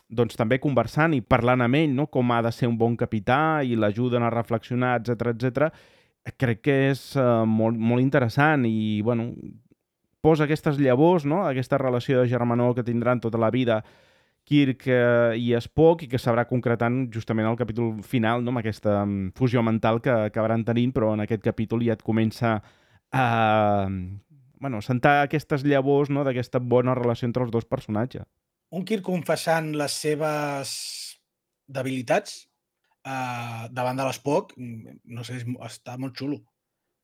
doncs també conversant i parlant amb ell, no? Com ha de ser un bon capità i l'ajuden a reflexionar, etcètera, etcètera. Crec que és uh, molt, molt interessant i, bueno, posa aquestes llavors, no? Aquesta relació de germanor que tindran tota la vida Kirk eh, i Spock i que s'haurà concretant justament al capítol final, no? Amb aquesta um, fusió mental que acabaran tenint, però en aquest capítol ja et comença a bueno, sentar aquestes llavors, no? D'aquesta bona relació entre els dos personatges. Un Kirk confessant les seves debilitats uh, davant de l'Spock, no sé, està molt xulo.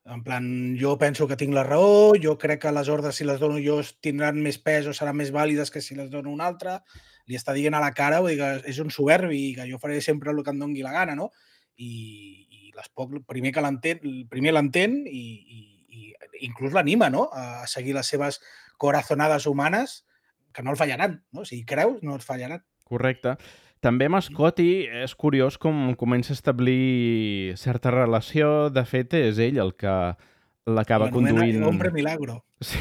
En plan, jo penso que tinc la raó, jo crec que les ordres, si les dono jo, tindran més pes o seran més vàlides que si les dono un altre. Li està dient a la cara, vull dir que és un soberbi i que jo faré sempre el que em doni la gana, no? I, i l'Spock primer que l'entén, primer l'entén i, i, i inclús l'anima, no? A seguir les seves corazonades humanes, que no el fallaran, no? Si creus, no et fallaran. Correcte. També amb Scotty és curiós com comença a establir certa relació. De fet, és ell el que l'acaba conduint... Hombre milagro. Sí.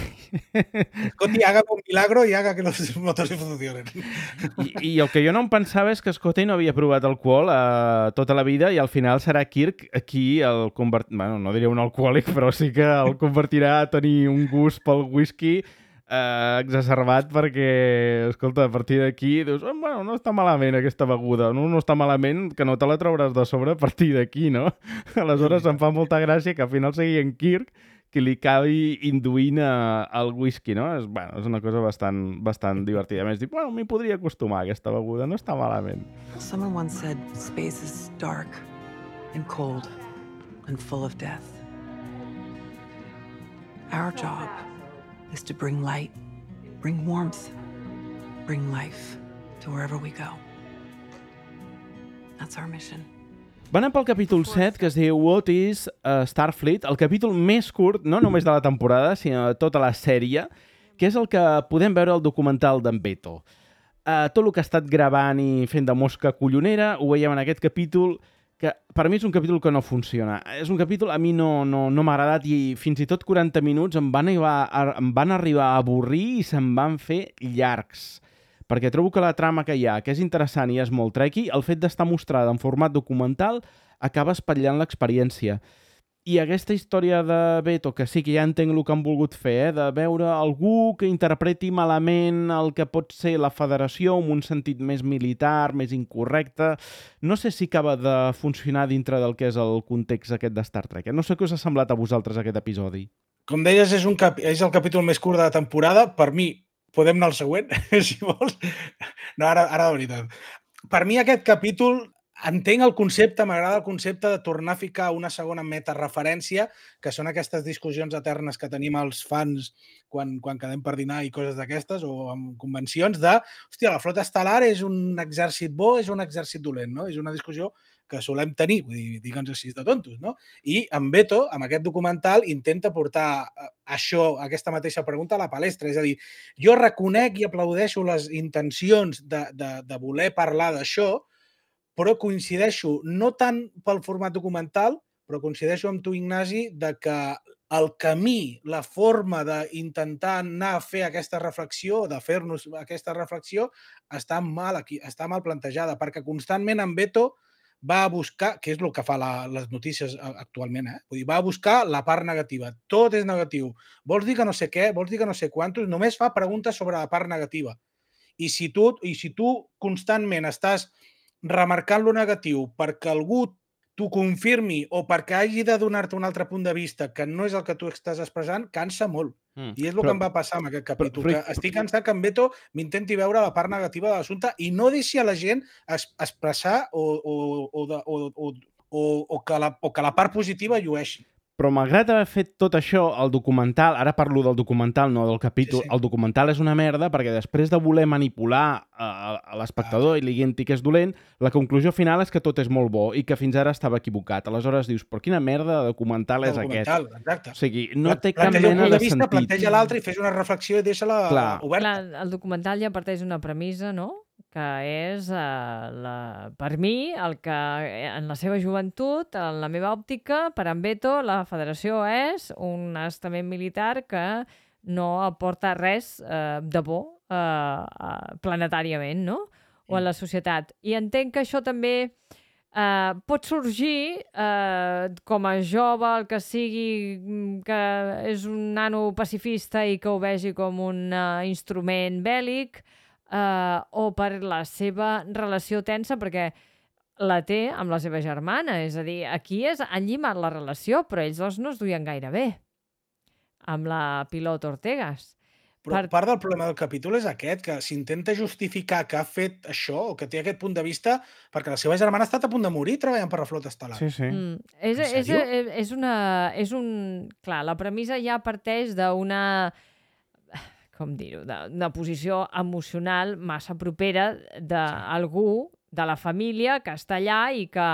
Scotty haga un milagro y haga que los motores funcionen. I, I el que jo no em pensava és que Scotty no havia provat alcohol eh, tota la vida i al final serà Kirk qui el convert... Bueno, no diria un alcohòlic, però sí que el convertirà a tenir un gust pel whisky eh, exacerbat perquè, escolta, a partir d'aquí dius, oh, bueno, no està malament aquesta beguda, no, no està malament que no te la trauràs de sobre a partir d'aquí, no? Aleshores em fa molta gràcia que al final sigui en Kirk que li acabi induint uh, el whisky, no? És, bueno, és una cosa bastant, bastant divertida. A més, dic, bueno, m'hi podria acostumar a aquesta beguda, no està malament. Someone once said space is dark and cold and full of death. Our job is to bring light, bring warmth, bring life to wherever we go. That's our mission. Va anar pel capítol set, que es diu What is uh, Starfleet, el capítol més curt, no només de la temporada, sinó de tota la sèrie, que és el que podem veure al documental d'en Beto. Uh, tot el que ha estat gravant i fent de mosca collonera, ho veiem en aquest capítol, que per mi és un capítol que no funciona. És un capítol, a mi no, no, no m'ha agradat i fins i tot quaranta minuts em van, arribar, em van arribar a avorrir i se'm van fer llargs. Perquè trobo que la trama que hi ha, que és interessant i és molt trequi, el fet d'estar mostrada en format documental acaba espatllant l'experiència. I aquesta història de Beto, que sí que ja entenc el que han volgut fer, eh, de veure algú que interpreti malament el que pot ser la federació en un sentit més militar, més incorrecte, no sé si acaba de funcionar dintre del que és el context aquest de Star Trek. Eh? No sé què us ha semblat a vosaltres aquest episodi. Com deies, és, un cap... és el capítol més curt de la temporada. Per mi, podem anar al següent, si vols. No, ara, ara de veritat. Per mi aquest capítol, entenc el concepte, m'agrada el concepte de tornar a ficar una segona metareferència, que són aquestes discussions eternes que tenim els fans quan, quan quedem per dinar i coses d'aquestes, o amb convencions de, hòstia, la flota estel·lar és un exèrcit bo, és un exèrcit dolent, no? És una discussió que solem tenir, vull dir, digue'ns així de tontos, no? I en Beto, amb aquest documental, intenta portar això, aquesta mateixa pregunta a la palestra. És a dir, jo reconec i aplaudeixo les intencions de, de, de voler parlar d'això, però coincideixo, no tant pel format documental, però coincideixo amb tu, Ignasi, de que el camí, la forma d'intentar anar a fer aquesta reflexió, de fer-nos aquesta reflexió, està mal, aquí, està mal plantejada, perquè constantment en Beto va a buscar, que és el que fa la, les notícies actualment, eh? Vull dir, va a buscar la part negativa. Tot és negatiu. Vols dir que no sé què, vols dir que no sé quantos, només fa preguntes sobre la part negativa. I si tu, i si tu constantment estàs remarcant lo negatiu perquè algú t'ho confirmi o perquè hagi de donar-te un altre punt de vista que no és el que tu estàs expressant, cansa molt. Mm. I és el però, que em va passar amb aquest capítol. Però, però, que estic cansat que en Beto m'intenti veure la part negativa de l'assumpte i no deixi a la gent es, expressar o, o, o, de, o, o, o, o, que la, o que la part positiva llueixi. Però malgrat haver fet tot això, el documental, ara parlo del documental, no del capítol, sí, sí. El documental és una merda perquè després de voler manipular a, a l'espectador ah. i li dient que és dolent, la conclusió final és que tot és molt bo i que fins ara estava equivocat. Aleshores dius, però quina merda de documental el és documental, aquest? Exacte. O sigui, no té cap mena de sentit. Planteja l'altre i fes una reflexió i deixa-la oberta. Clar, el documental ja parteix d'una premissa, no?, que és, eh, la, per mi, el que en la seva joventut, en la meva òptica, per en Beto, la federació és un estament militar que no aporta res eh, de bo eh, planetàriament, no?, o en la societat. I entenc que això també eh, pot sorgir eh, com a jove, el que sigui, que és un nano pacifista i que ho vegi com un uh, instrument bèl·lic, Uh, o per la seva relació tensa, perquè la té amb la seva germana. És a dir, aquí és, han llimat la relació, però ells dos no es duien gaire bé amb la pilot Ortegas. Però per... part del problema del capítol és aquest, que s'intenta justificar que ha fet això, o que té aquest punt de vista, perquè la seva germana ha estat a punt de morir treballant per la flota estel·lar. Sí, sí. Mm. És, és, és una... És un... Clar, la premissa ja parteix d'una... com dir-ho, d'una posició emocional massa propera d'algú de la família que està allà i que,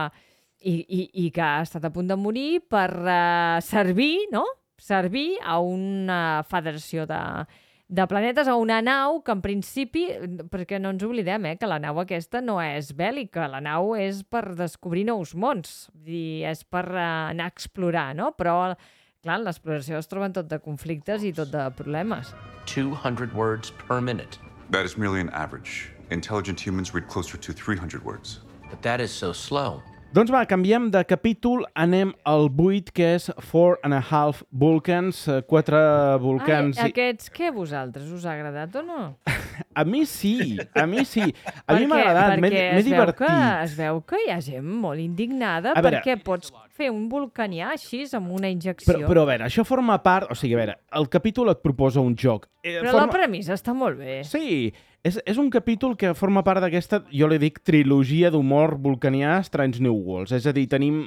i, i, i que ha estat a punt de morir per uh, servir, no? Servir a una federació de, de planetes, a una nau que en principi, perquè no ens oblidem, eh, que la nau aquesta no és bèl·lica, la nau és per descobrir nous mons, i és per uh, anar a explorar, no? Però Clar, en l'exploració es troben tot de conflictes i tot de problemes. two hundred words per minute. That is merely an average. Intelligent humans read closer to three hundred words. But that is so slow. Doncs va, canviem de capítol, anem al vuit, que és Four and a Half Vulcans, eh, quatre volcans... Ai, aquests, què, vosaltres? Us ha agradat o no? A mi sí, a mi sí. A mi Perquè- m'ha agradat, m'he perquè m'he es veu divertit. Que, es veu que hi ha gent molt indignada A veure- perquè pots fer un vulcanià així, amb una injecció. Però, però a veure, això forma part... O sigui, a veure, el capítol et proposa un joc. Eh, Però la premissa està molt bé. Sí, és, és un capítol que forma part d'aquesta, jo li dic, trilogia d'humor vulcanià Strange New Worlds. És a dir, tenim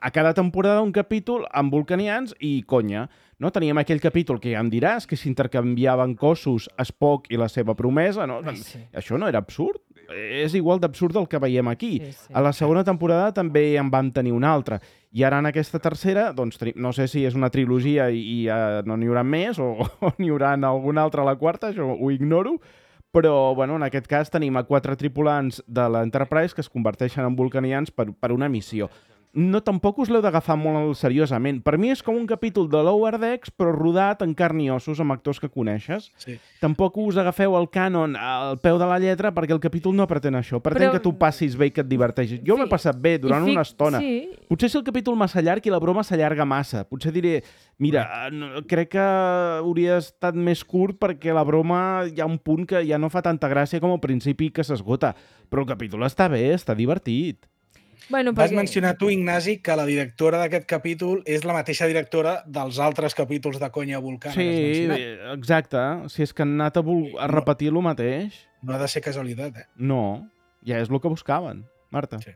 a cada temporada un capítol amb vulcanians i conya. No? Teníem aquell capítol que ja em diràs, que s'intercanviaven cossos Spock i la seva promesa. No? Ai, sí. Això no era absurd? És igual d'absurd el que veiem aquí. Sí, sí. A la segona temporada també en vam tenir una altra. I ara en aquesta tercera, doncs, tenim- no sé si és una trilogia i, i uh, no n'hi haurà més o, o n'hi haurà alguna altra a la quarta, això ho ignoro, però bueno, en aquest cas tenim a quatre tripulants de l'Enterprise que es converteixen en vulcanians per, per una missió. No, tampoc us l'heu d'agafar molt seriosament. Per mi és com un capítol de Lower Decks, però rodat en carn i ossos amb actors que coneixes. Sí. Tampoc us agafeu el cànon al peu de la lletra perquè el capítol no pretén això. Pretén Però- que tu passis bé i que et diverteixis. Jo m'he Fi- passat bé durant i fic- una estona. Sí, Potser si el capítol massa llarg i la broma s'allarga massa. Potser diré, mira, eh, no, crec que hauria estat més curt perquè la broma hi ha un punt que ja no fa tanta gràcia com al principi que s'esgota. Però el capítol està bé, està divertit. bueno, Vas perquè... mencionar tu, Ignasi, que la directora d'aquest capítol és la mateixa directora dels altres capítols de Conya Vulcana. que has Sí, mencionat. exacte. Si és que han anat a, vol- a repetir el mateix, No ha de ser casualitat, eh? no. Ja és el que buscaven, Marta. Sí.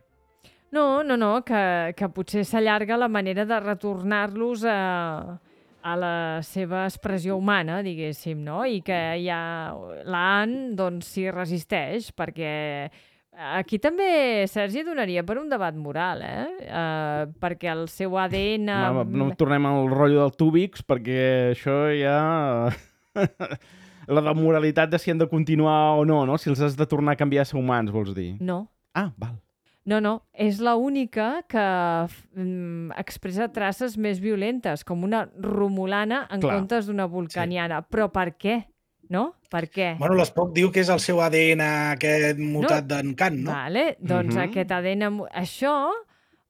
No, no, no, que, que potser s'allarga la manera de retornar-los a, a la seva expressió humana, diguéssim, no? I que ja l'Anne, doncs, s'hi resisteix, perquè aquí també, Sergi, donaria per un debat moral, eh? Uh, perquè el seu A D N... No, no tornem al rotllo del Túbix, perquè això ja... la de moralitat de si han de continuar o no, no? Si els has de tornar a canviar a ser humans, vols dir? No, Ah, val. no, no. És l'única que mm, expressa traces més violentes, com una romulana en Clar. comptes d'una vulcaniana. Sí. Però per què? No? Per què? Bueno, l'Spock diu que és el seu A D N aquest mutat no. d'en Kant, no? Vale, doncs Mhm. aquest A D N... mu- Això,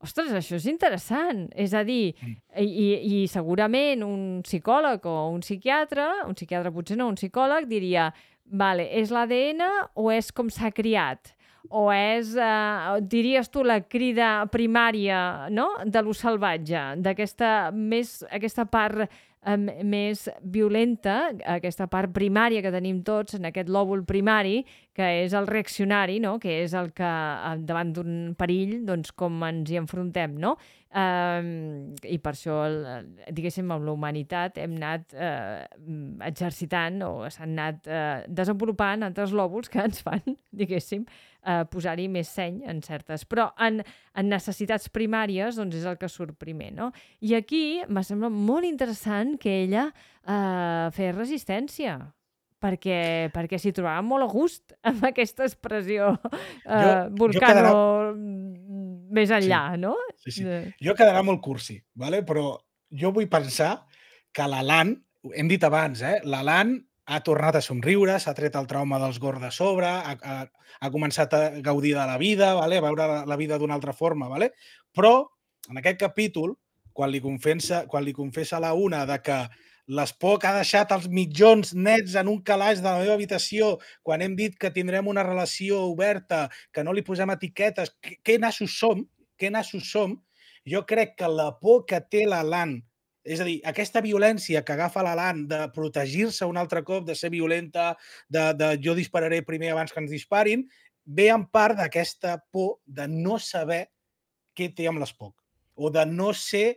ostres, això és interessant. És a dir, i, i, i segurament un psicòleg o un psiquiatre, un psiquiatre potser no, un psicòleg, diria, vale, és l'A D N o és com s'ha criat? O és, eh, diries tu, la crida primària, no?, de lo salvatge, d'aquesta més, aquesta part eh, més violenta, aquesta part primària que tenim tots en aquest lòbul primari, que és el reaccionari, no?, que és el que eh, davant d'un perill, doncs, com ens hi enfrontem, no? Um, I per això, el, diguéssim, amb la humanitat hem anat eh, exercitant o s'han anat eh, desenvolupant altres lòbuls que ens fan, diguéssim, eh, posar-hi més seny en certes. Però en, en necessitats primàries doncs és el que surt primer, no? I aquí m'ha semblat molt interessant que ella eh, fes resistència, perquè, perquè s'hi trobava molt a gust amb aquesta expressió eh, Jo- jo vulcano quedarà- més enllà, no? Sí, sí. De- Jo quedarà molt cursi, vale? Però jo vull pensar que l'Alan, hem dit abans, eh? l'Alan ha tornat a somriure, s'ha tret el trauma dels Gorr de sobre, ha, ha, ha començat a gaudir de la vida, vale? a veure la, la vida d'una altra forma. Vale? Però en aquest capítol, quan li confessa, quan li confessa a la una de que l'Spock ha deixat els mitjons nets en un calaix de la meva habitació quan hem dit que tindrem una relació oberta, que no li posem etiquetes, que, que nassos som, que nassos som, jo crec que la por que té l'Alan, és a dir, aquesta violència que agafa l'Alan de protegir-se un altre cop, de ser violenta, de, de jo dispararé primer abans que ens disparin, ve en part d'aquesta por de no saber què té amb l'Spock, o de no ser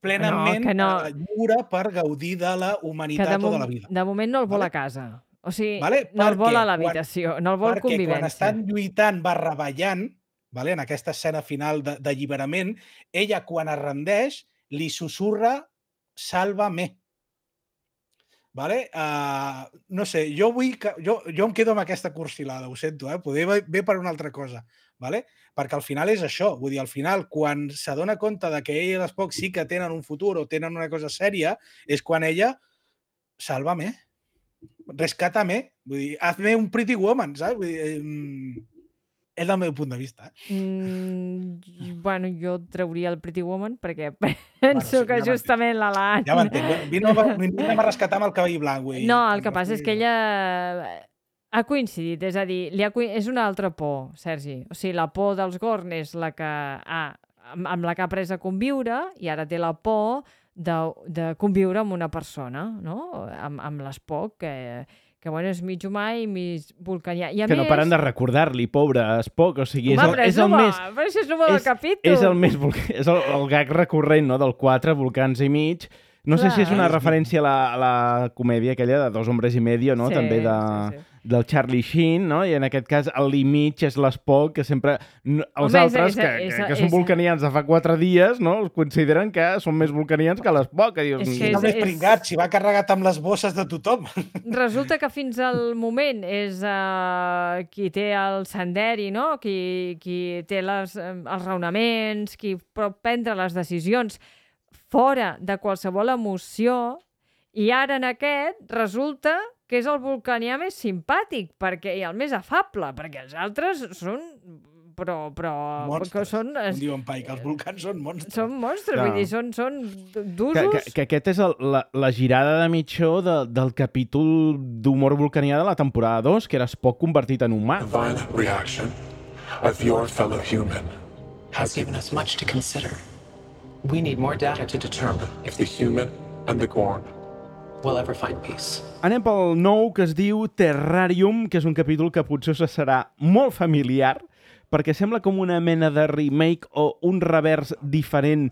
plenament que no. eh, lliure per gaudir de la que humanitat de, o de mom la vida. de moment no el vol Vale? a casa. O sigui, Vale? no el vol Perquè a l'habitació, no el vol Perquè quan convivència. estan lluitant barra ballant, vale? En aquesta escena final de- d'alliberament, ella quan es rendeix li susurra sálvame. Vale? Uh, no sé, jo vull que... Jo, jo em quedo amb aquesta cursilada, ho sento, eh? Poder ve per una altra cosa. vale? Perquè al final és això. Vull dir, al final, quan s'adona compte de que ell i l'Spock sí que tenen un futur o tenen una cosa sèria, és quan ella, sálvame, rescátame, vull dir, hazme un Pretty Woman, saps? Vull dir, eh, és el meu punt de vista. Eh? Mm, bueno, jo trauria el Pretty Woman perquè penso Bueno, sí, que ja justament la Lan... Ja m'entenc. Vine a rescatar amb el cabell blanc. Vull dir, No, el que passa és que ella ha coincidit, és a dir, li ha coi... és una altra por, Sergi. O sigui, la por dels Gorn és la que ha, amb, amb la que ha après a conviure i ara té la por de, de conviure amb una persona, no? Amb, amb l'Spock, que, que bueno, és mig humà i mig vulcanià. I a que més... no paren de recordar-li, pobre Spock, o sigui, és Home, el, però és el bo, més... Però això és el bo del és, capítol. és el més... vulca- És el, el gag recurrent, no?, del quatre, volcans i mig. No sé Clar. si és una referència a la, a la comèdia aquella de Dos hombres i medio, no?, Sí, també de, sí, sí. del Charlie Sheen, no?, i en aquest cas el mig és l'Spock, que sempre... no- Els Home, és- altres, és- que, és- que, que són és- vulcanians de fa quatre dies, no?, els consideren que són més vulcanians que l'Spock, que dius... És És que el més és- pringat, si va carregat amb les bosses de tothom. Resulta que fins al moment és uh, qui té el senderi, no? Qui, qui té les, eh, els raonaments, qui pot prendre les decisions fora de qualsevol emoció, i ara en aquest resulta que és el vulcanià més simpàtic perquè, i el més afable, perquè els altres són... però... però que Monstres. són, Com diuen Pai, que els volcans són monstres. són monstres, Clar. vull dir, són, són Que, d'usos... que, que aquest és el, la, la girada de mitjó de, del capítol d'humor vulcanià de la temporada dos, que era Spock convertit en humà. The violent reaction of your fellow human Has given us much to consider. We need more data to determine if the human and the Gorn. we'll ever find peace. Anem pel nou, que es diu Terrarium, que és un capítol que potser us serà molt familiar, perquè sembla com una mena de remake o un revers diferent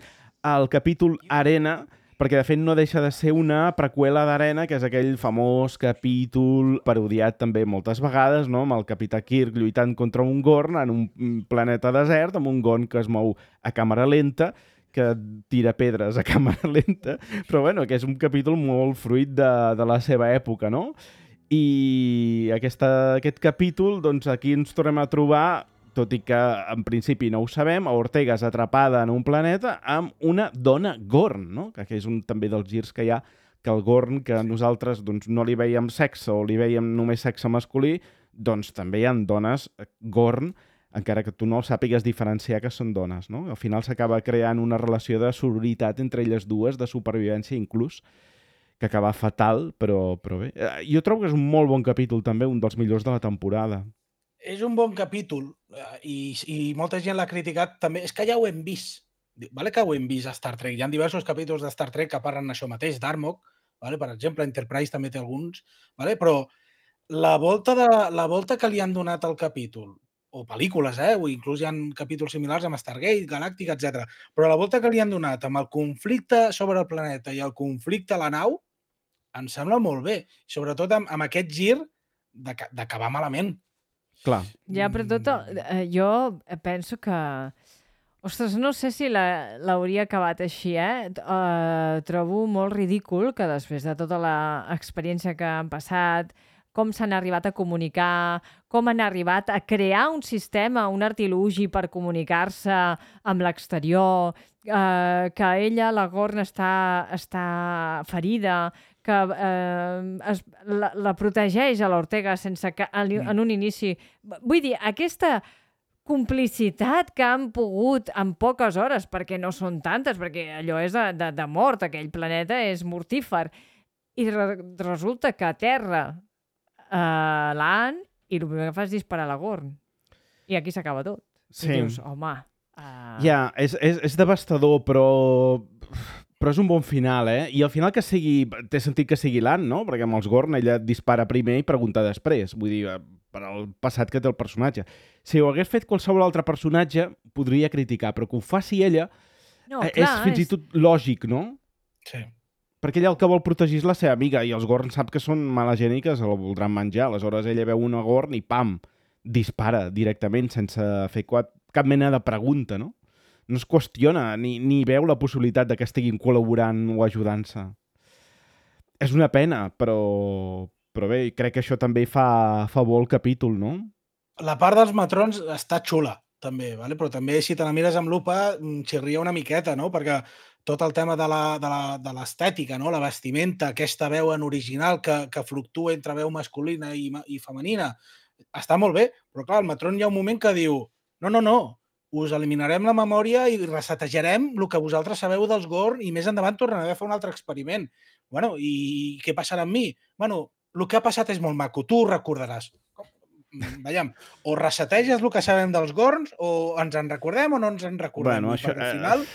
al capítol Arena, perquè de fet no deixa de ser una preqüela d'Arena, que és aquell famós capítol parodiat també moltes vegades, no?, amb el capità Kirk lluitant contra un Gorn en un planeta desert, amb un Gorn que es mou a càmera lenta, que tira pedres a càmera lenta, però bueno, que és un capítol molt fruit de, de la seva època, no? I aquesta, aquest capítol, doncs aquí ens tornem a trobar, tot i que en principi no ho sabem, a Ortega és atrapada en un planeta amb una dona Gorn, no? Que és un també dels girs que hi ha, que el Gorn, que nosaltres doncs, no li veiem sexe o li veiem només sexe masculí, doncs també hi ha dones Gorn, encara que tu no sàpigues diferenciar que són dones, no? Al final s'acaba creant una relació de sororitat entre elles dues, de supervivència inclús, que acaba fatal, però, però bé. Eh, Jo trobo que és un molt bon capítol també, un dels millors de la temporada. És un bon capítol eh, i, i molta gent l'ha criticat també. És que ja ho hem vist. Vale que ho hem vist a Star Trek. Hi ha diversos capítols de Star Trek que parlen això mateix, d'Armok, vale? Per exemple, Enterprise també té alguns, vale? Però la volta, de, la volta que li han donat al capítol, o pel·lícules, eh? O inclús hi ha capítols similars amb Stargate, Galàctica, etcètera. Però la volta que li han donat amb el conflicte sobre el planeta i el conflicte a la nau, em sembla molt bé. Sobretot amb, amb aquest gir d'acabar malament. Clar. Ja, però tot... el- eh, jo penso que... Ostres, no sé si la- l'hauria acabat així, eh? Uh, trobo molt ridícul que després de tota l'experiència que han passat, com s'han arribat a comunicar, com han arribat a crear un sistema, un artilugi per comunicar-se amb l'exterior, eh, que ella, la Gorn, està, està ferida, que eh, es, la, la protegeix a l'Ortega sense que en, en un inici... Vull dir, aquesta complicitat que han pogut en poques hores, perquè no són tantes, perquè allò és de, de, de mort, aquell planeta és mortífer, i re, resulta que a terra Uh, l'Ann, i el primer que fa és disparar la Gorn. I aquí s'acaba tot. Sí. I dius, home... Uh... Ja, és, és, és devastador, però... però és un bon final, eh? I al final que sigui... Té sentit que sigui l'Ann, no? Perquè amb els Gorn ella dispara primer i pregunta després. Vull dir, per al passat que té el personatge. Si ho hagués fet qualsevol altre personatge, podria criticar, però que ho faci ella no, eh, clar, és fins és... i tot lògic, no? Sí. Perquè ella el que vol protegir és la seva amiga i els Gorn sap que són mala gent i que se la voldran menjar. Aleshores ella veu una Gorn i pam, dispara directament sense fer cap mena de pregunta, no? No es qüestiona ni, ni veu la possibilitat de que estiguin col·laborant o ajudant-se. És una pena, però, però bé, crec que això també fa, fa bo el capítol, no? La part dels matrons està xula, també, vale? Però també, si te la mires amb lupa, xirria una miqueta, no? Perquè tot el tema de la- de la- de l'estètica, no? La vestimenta, aquesta veu en original que, que fluctua entre veu masculina i, ma- i femenina, està molt bé, però clar, el Matron hi ha un moment que diu no, no, no, us eliminarem la memòria i resetejarem el que vosaltres sabeu dels Gorn i més endavant tornarem a fer un altre experiment. Bueno, i què passarà amb mi? Bueno, el que ha passat és molt maco, tu ho recordaràs. Mm, Veiem, o reseteges el que sabem dels Gorns, o ens en recordem o no ens en recordem. Bueno, Vull dir, això, perquè al eh, final,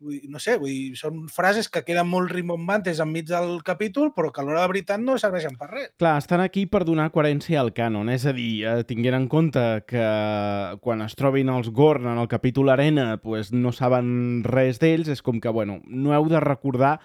vull dir, no sé, vull dir, són frases que queden molt rimbombantes enmig del capítol, però que a l'hora de veritat no serveixen per res. Clar, estan aquí per donar coherència al cànon, és a dir, eh, tinguent en compte que quan es trobin els Gorn en el capítol Arena pues, no saben res d'ells, és com que, bueno, no heu de recordar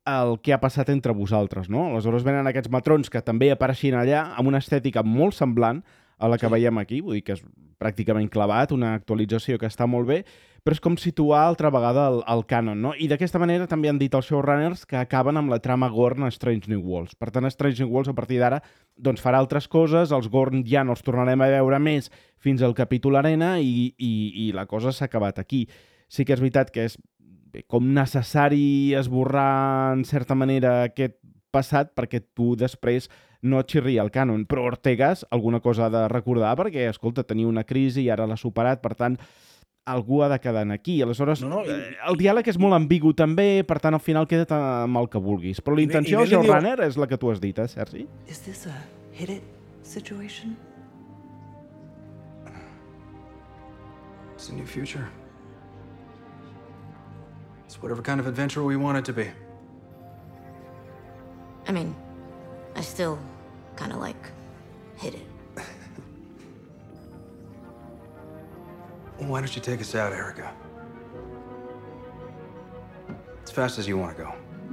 el que ha passat entre vosaltres, no? Aleshores venen aquests matrons que també apareixien allà amb una estètica molt semblant a la que Sí. veiem aquí, vull dir que és pràcticament clavat, una actualització que està molt bé, però és com situar altra vegada el, el cànon, no? I d'aquesta manera també han dit els showrunners que acaben amb la trama Gorn a Strange New Worlds. Per tant, Strange New Worlds a partir d'ara doncs farà altres coses, els Gorn ja no els tornarem a veure més fins al capítol Arena i, i, i la cosa s'ha acabat aquí. Sí que és veritat que és bé, com necessari esborrar en certa manera aquest passat perquè tu després no et xirria el cànon, però Ortegas alguna cosa ha de recordar perquè, escolta, tenia una crisi i ara l'ha superat, per tant, algú ha de quedar aquí. Aleshores, No, no, i- eh, el diàleg és molt ambigu també, per tant, al final queda't amb el que vulguis. Però la I bé- intenció i del bé li diu- showrunner és la que tu has dit, eh, Sergi? Is this a hit it situation? It's a new future. It's whatever kind of adventure we want it to be. I mean, I still kind of like hit it. Why don't you take us out, Erica? As fast as you want to go.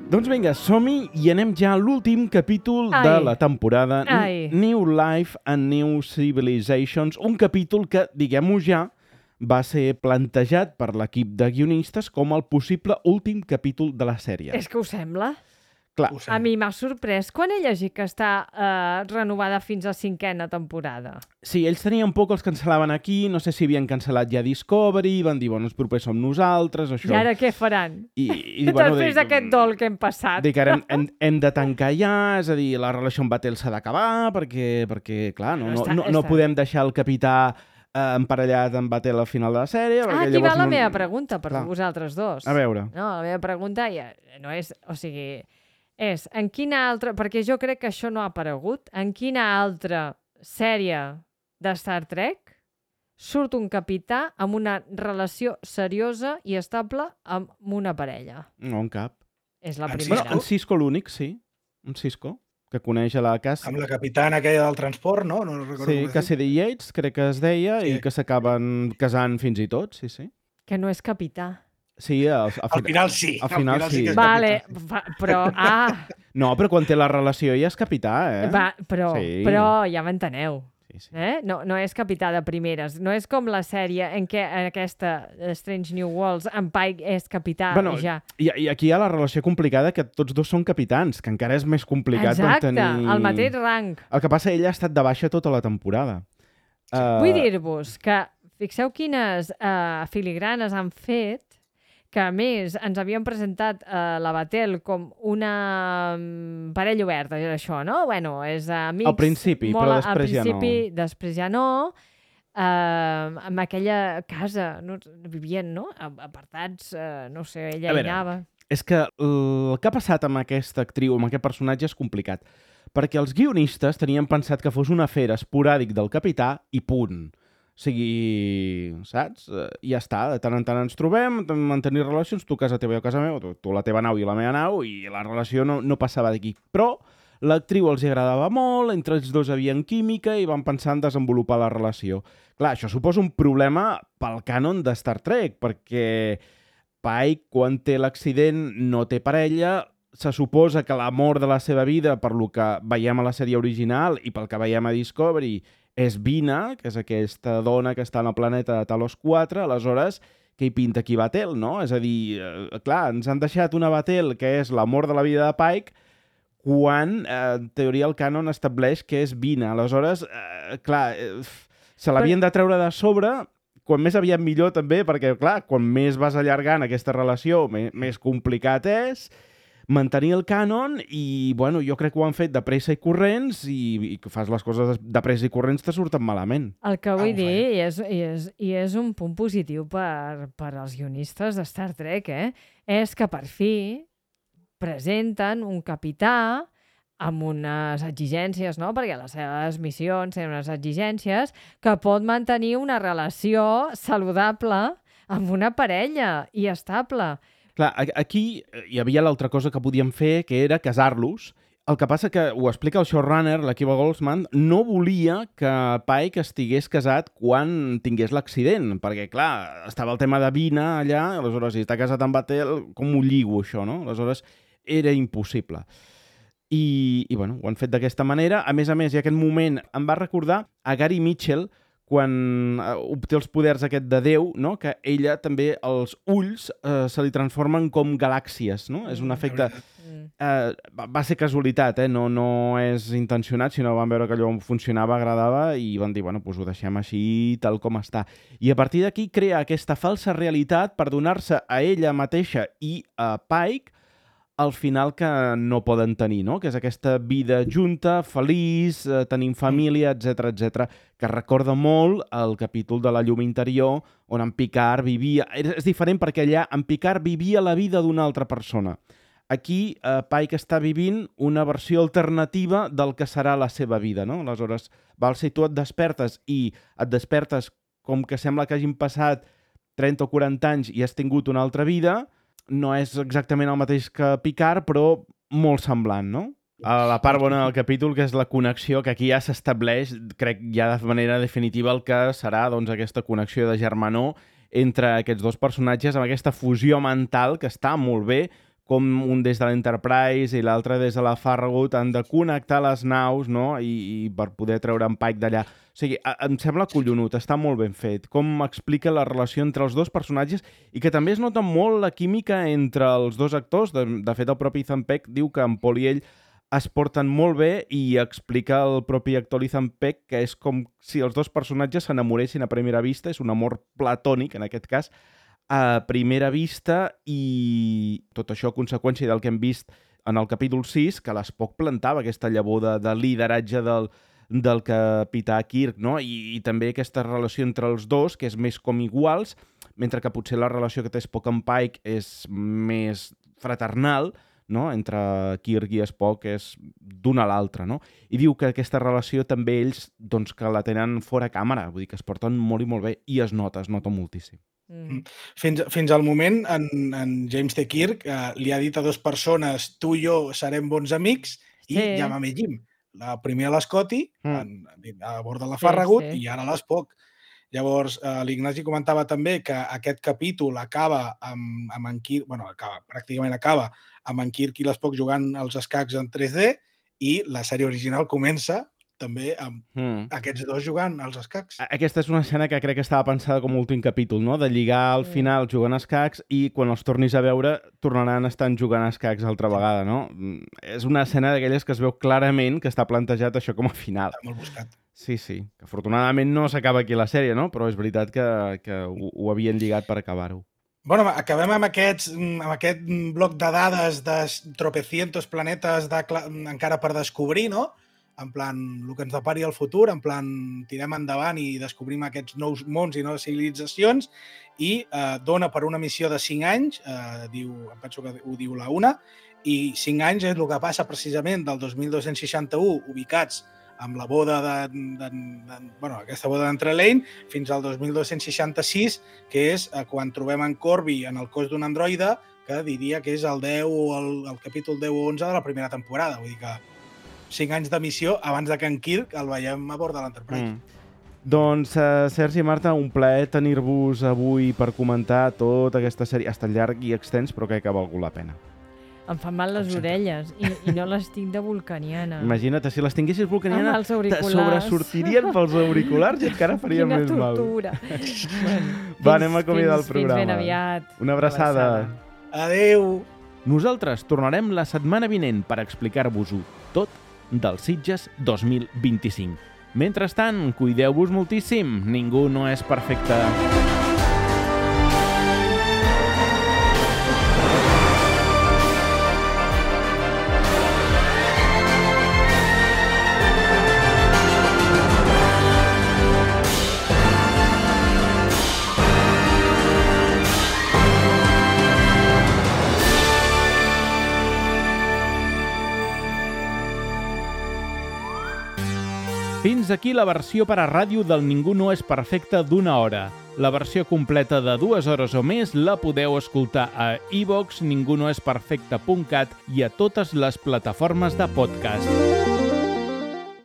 Doncs vinga, som-hi i anem ja a l'últim capítol Ai. de la temporada. N- Ai. New Life and New Civilizations. Un capítol que, diguem-ho ja, va ser plantejat per l'equip de guionistes com el possible últim capítol de la sèrie. És que ho sembla. Clar, Ho A sembla. mi m'ha sorprès quan he llegit que està eh, renovada fins a cinquena temporada. sí, ells tenien por que els cancel·laven aquí, no sé si havien cancel·lat ja Discovery, van dir, bueno, els propers som nosaltres, això. I ara què faran? I, i, Després dic, d'aquest dol que hem passat. Dic, ara hem, hem, hem de tancar ja, és a dir, la relació amb Batel s'ha d'acabar, perquè, perquè, clar, no, no, Està- no, no està. podem deixar el capità eh, emparellat amb Batel al final de la sèrie. Ah, perquè aquí va llavors la no... meva pregunta per Clar. vosaltres dos. A veure. No, la meva pregunta ja no és... O sigui, és en quina altra... Perquè jo crec que això no ha aparegut. En quina altra sèrie de Star Trek surt un capità amb una relació seriosa i estable amb una parella? No, en cap. És la En primera. Bueno, en Cisco l'únic, sí. En Cisco, que coneix a la Cassie. Amb la capitana aquella del transport, no? No recordo Sí, com es Cassidy Yates, crec que es deia, Sí. i que s'acaben casant fins i tot, sí, sí. Que no és capità. Sí, al, Al final sí. Al final, al final sí sí. que és Vale, fa, però... Ah, No, però quan té la relació ja és capità, eh? va, però, Sí. però ja m'enteneu. Sí, sí. Eh? No, no és capità de primeres. No és com la sèrie en què en aquesta Strange New Worlds en Pike és capità Bueno, i ja. I, I aquí hi ha la relació complicada que tots dos són capitans, que encara és més complicat Exacte, tenir... el mateix rang. El que passa, ella ha estat de baixa tota la temporada. Uh, Vull dir-vos que fixeu quines uh, filigranes han fet que a més ens havien presentat uh, la Batel com una um, parella oberta, és això, no? Bueno, és amics... Al principi, molt, però després al ja no. principi, després ja no. Uh, amb aquella casa, no, vivien, no? Apartats, uh, no sé, ella A hi veure, anava. És que el que ha passat amb aquesta actriu, amb aquest personatge, és complicat. Perquè els guionistes tenien pensat que fos un afer esporàdic del capità i punt. O sigui, saps? Eh, ja està, de tant en tant ens trobem, mantenir relacions, tu a casa teva i jo a casa meva, tu, tu a la teva nau i a la meva nau, i la relació no, no passava d'aquí. Però l'actriu els agradava molt, entre els dos havien química i van pensar en desenvolupar la relació. Clar, això suposa un problema pel cànon de Star Trek, perquè Pike, quan té l'accident, no té parella, se suposa que l'amor de la seva vida, per lo que veiem a la sèrie original i pel que veiem a Discovery, és Vina, que és aquesta dona que està en el planeta de Talos quatre, aleshores, què hi pinta aquí Batel, no? És a dir, eh, clar, ens han deixat una Batel que és l'amor de la vida de Pike, quan, eh, en teoria, el cànon estableix que és Vina. Aleshores, eh, clar, eh, se l'havien de treure de sobre quan més aviat millor també, perquè, clar, quan més vas allargant aquesta relació, més, més complicat és mantenir el cànon i, bueno, jo crec que ho han fet de pressa i corrents i, i que fas les coses de pressa i corrents te surten malament. El que vull dir, i és, i, és, i és un punt positiu per, per als guionistes de Star Trek, eh? És que per fi presenten un capità amb unes exigències, no? Perquè les seves missions tenen unes exigències que pot mantenir una relació saludable amb una parella i estable. Clar, aquí hi havia l'altra cosa que podíem fer, que era casar-los. El que passa que, ho explica el showrunner, l'Akiva Goldsman, no volia que Pike estigués casat quan tingués l'accident, perquè, clar, estava el tema de Vina allà, aleshores, si està casat amb Batel, com ho lligo, això, no? Aleshores, era impossible. I, i bueno, ho han fet d'aquesta manera. A més a més, i aquest moment em va recordar a Gary Mitchell, quan obté els poders aquest de Déu, no? Que ella també, els ulls eh, se li transformen com galàxies, no? És un efecte... Eh, va ser casualitat, eh? No, no és intencionat, sinó van veure que allò funcionava, agradava i van dir, bueno, doncs ho deixem així tal com està. I a partir d'aquí crea aquesta falsa realitat per donar-se a ella mateixa i a Pike al final que no poden tenir, no? Que és aquesta vida junta, feliç, eh, tenint família, etcètera, etcètera, que recorda molt el capítol de La llum interior, on en Picard vivia... És diferent perquè allà en Picard vivia la vida d'una altra persona. Aquí eh, Pike està vivint una versió alternativa del que serà la seva vida, no? Aleshores, val, si tu et despertes i et despertes com que sembla que hagin passat trenta o quaranta anys i has tingut una altra vida, no és exactament el mateix que Picard, però molt semblant, no? A la part bona del capítol, que és la connexió, que aquí ja s'estableix, crec, ja de manera definitiva el que serà, doncs, aquesta connexió de germanor entre aquests dos personatges, amb aquesta fusió mental que està molt bé, com un des de l'Enterprise i l'altre des de la Farragut han de connectar les naus, no? I, i per poder treure en Pike d'allà. O sigui, em sembla collonut, està molt ben fet. Com explica la relació entre els dos personatges i que també es nota molt la química entre els dos actors. De, de fet, el propi Ethan Peck diu que en Paul i ell es porten molt bé i explica el propi actor Ethan Peck que és com si els dos personatges s'enamoressin a primera vista. És un amor platònic, en aquest cas, a primera vista, i tot això a conseqüència del que hem vist en el capítol sis, que l'Spock plantava aquesta llavor de, de lideratge del, del capità Kirk, no? I, i també aquesta relació entre els dos, que és més com iguals, mentre que potser la relació que té Spock amb Pike és més fraternal, no? Entre Kirk i Spock és d'una a l'altra, no? I diu que aquesta relació també ells, doncs, que la tenen fora càmera, vull dir que es porten molt i molt bé, i es nota, es nota moltíssim. Mm. Fins, fins al moment, en, en James T. Kirk eh, li ha dit a dues persones, tu i jo serem bons amics, i sí. Llámame Jim. La primer a l'Scotty, mm. a bord de la Farragut, sí, sí. I ara a l'Spock. Llavors, eh, l'Ignasi comentava també que aquest capítol acaba amb, amb en Kirk, bueno, acaba, pràcticament acaba amb en Kirk i l'Spock jugant als escacs en tres D, i la sèrie original comença també amb mm. aquests dos jugant als escacs. Aquesta és una escena que crec que estava pensada com a últim capítol, no? De lligar al mm. final jugant a escacs i quan els tornis a veure tornaran a estar jugant a escacs altra vegada, no? És una escena d'aquelles que es veu clarament que està plantejat això com a final. Està molt buscat. Sí, sí. Que afortunadament no s'acaba aquí la sèrie, no? Però és veritat que, que ho, ho havien lligat per acabar-ho. Bueno, acabem amb, aquests, amb aquest bloc de dades de tropecientos planetes de, encara per descobrir, no? En plan, el que ens depari el futur, en plan, tirem endavant i descobrim aquests nous mons i noves civilitzacions, i eh, dona per una missió de cinc anys, eh, diu, em penso que ho diu la una, i cinc anys és el que passa precisament del dos mil dos-cents seixanta-u, ubicats amb la boda de, de, de, bueno, aquesta boda d'Entrelane, fins al dos mil dos-cents seixanta-sis, que és eh, quan trobem en Corby en el cos d'un androide, que diria que és el deu o el, el capítol deu o onze de la primera temporada. Vull dir que cinc anys de missió abans de que en Kirk el veiem a bord de l'Enterprise. Mm. Doncs, uh, Sergi i Marta, un plaer tenir-vos avui per comentar tota aquesta sèrie. Ha estat llarg i extens, però crec que ha valgut la pena. Em fan mal les orelles i, i no les tinc de vulcaniana. Imagina't, si les tinguessis vulcaniana, te sobresortirien pels auriculars i encara faria Quina més mal. Quina tortura. bueno, Va, anem a acomiadar el programa. Fins ben aviat. Una abraçada. Adéu. Nosaltres tornarem la setmana vinent per explicar-vos-ho tot dels Sitges dos mil vint-i-cinc. Mentrestant, cuideu-vos moltíssim, ningú no és perfecte. Fins aquí la versió per a ràdio del Ningú no és perfecte d'una hora. La versió completa de dues hores o més la podeu escoltar a iVox, ningunoesperfecte punt cat i a totes les plataformes de podcast.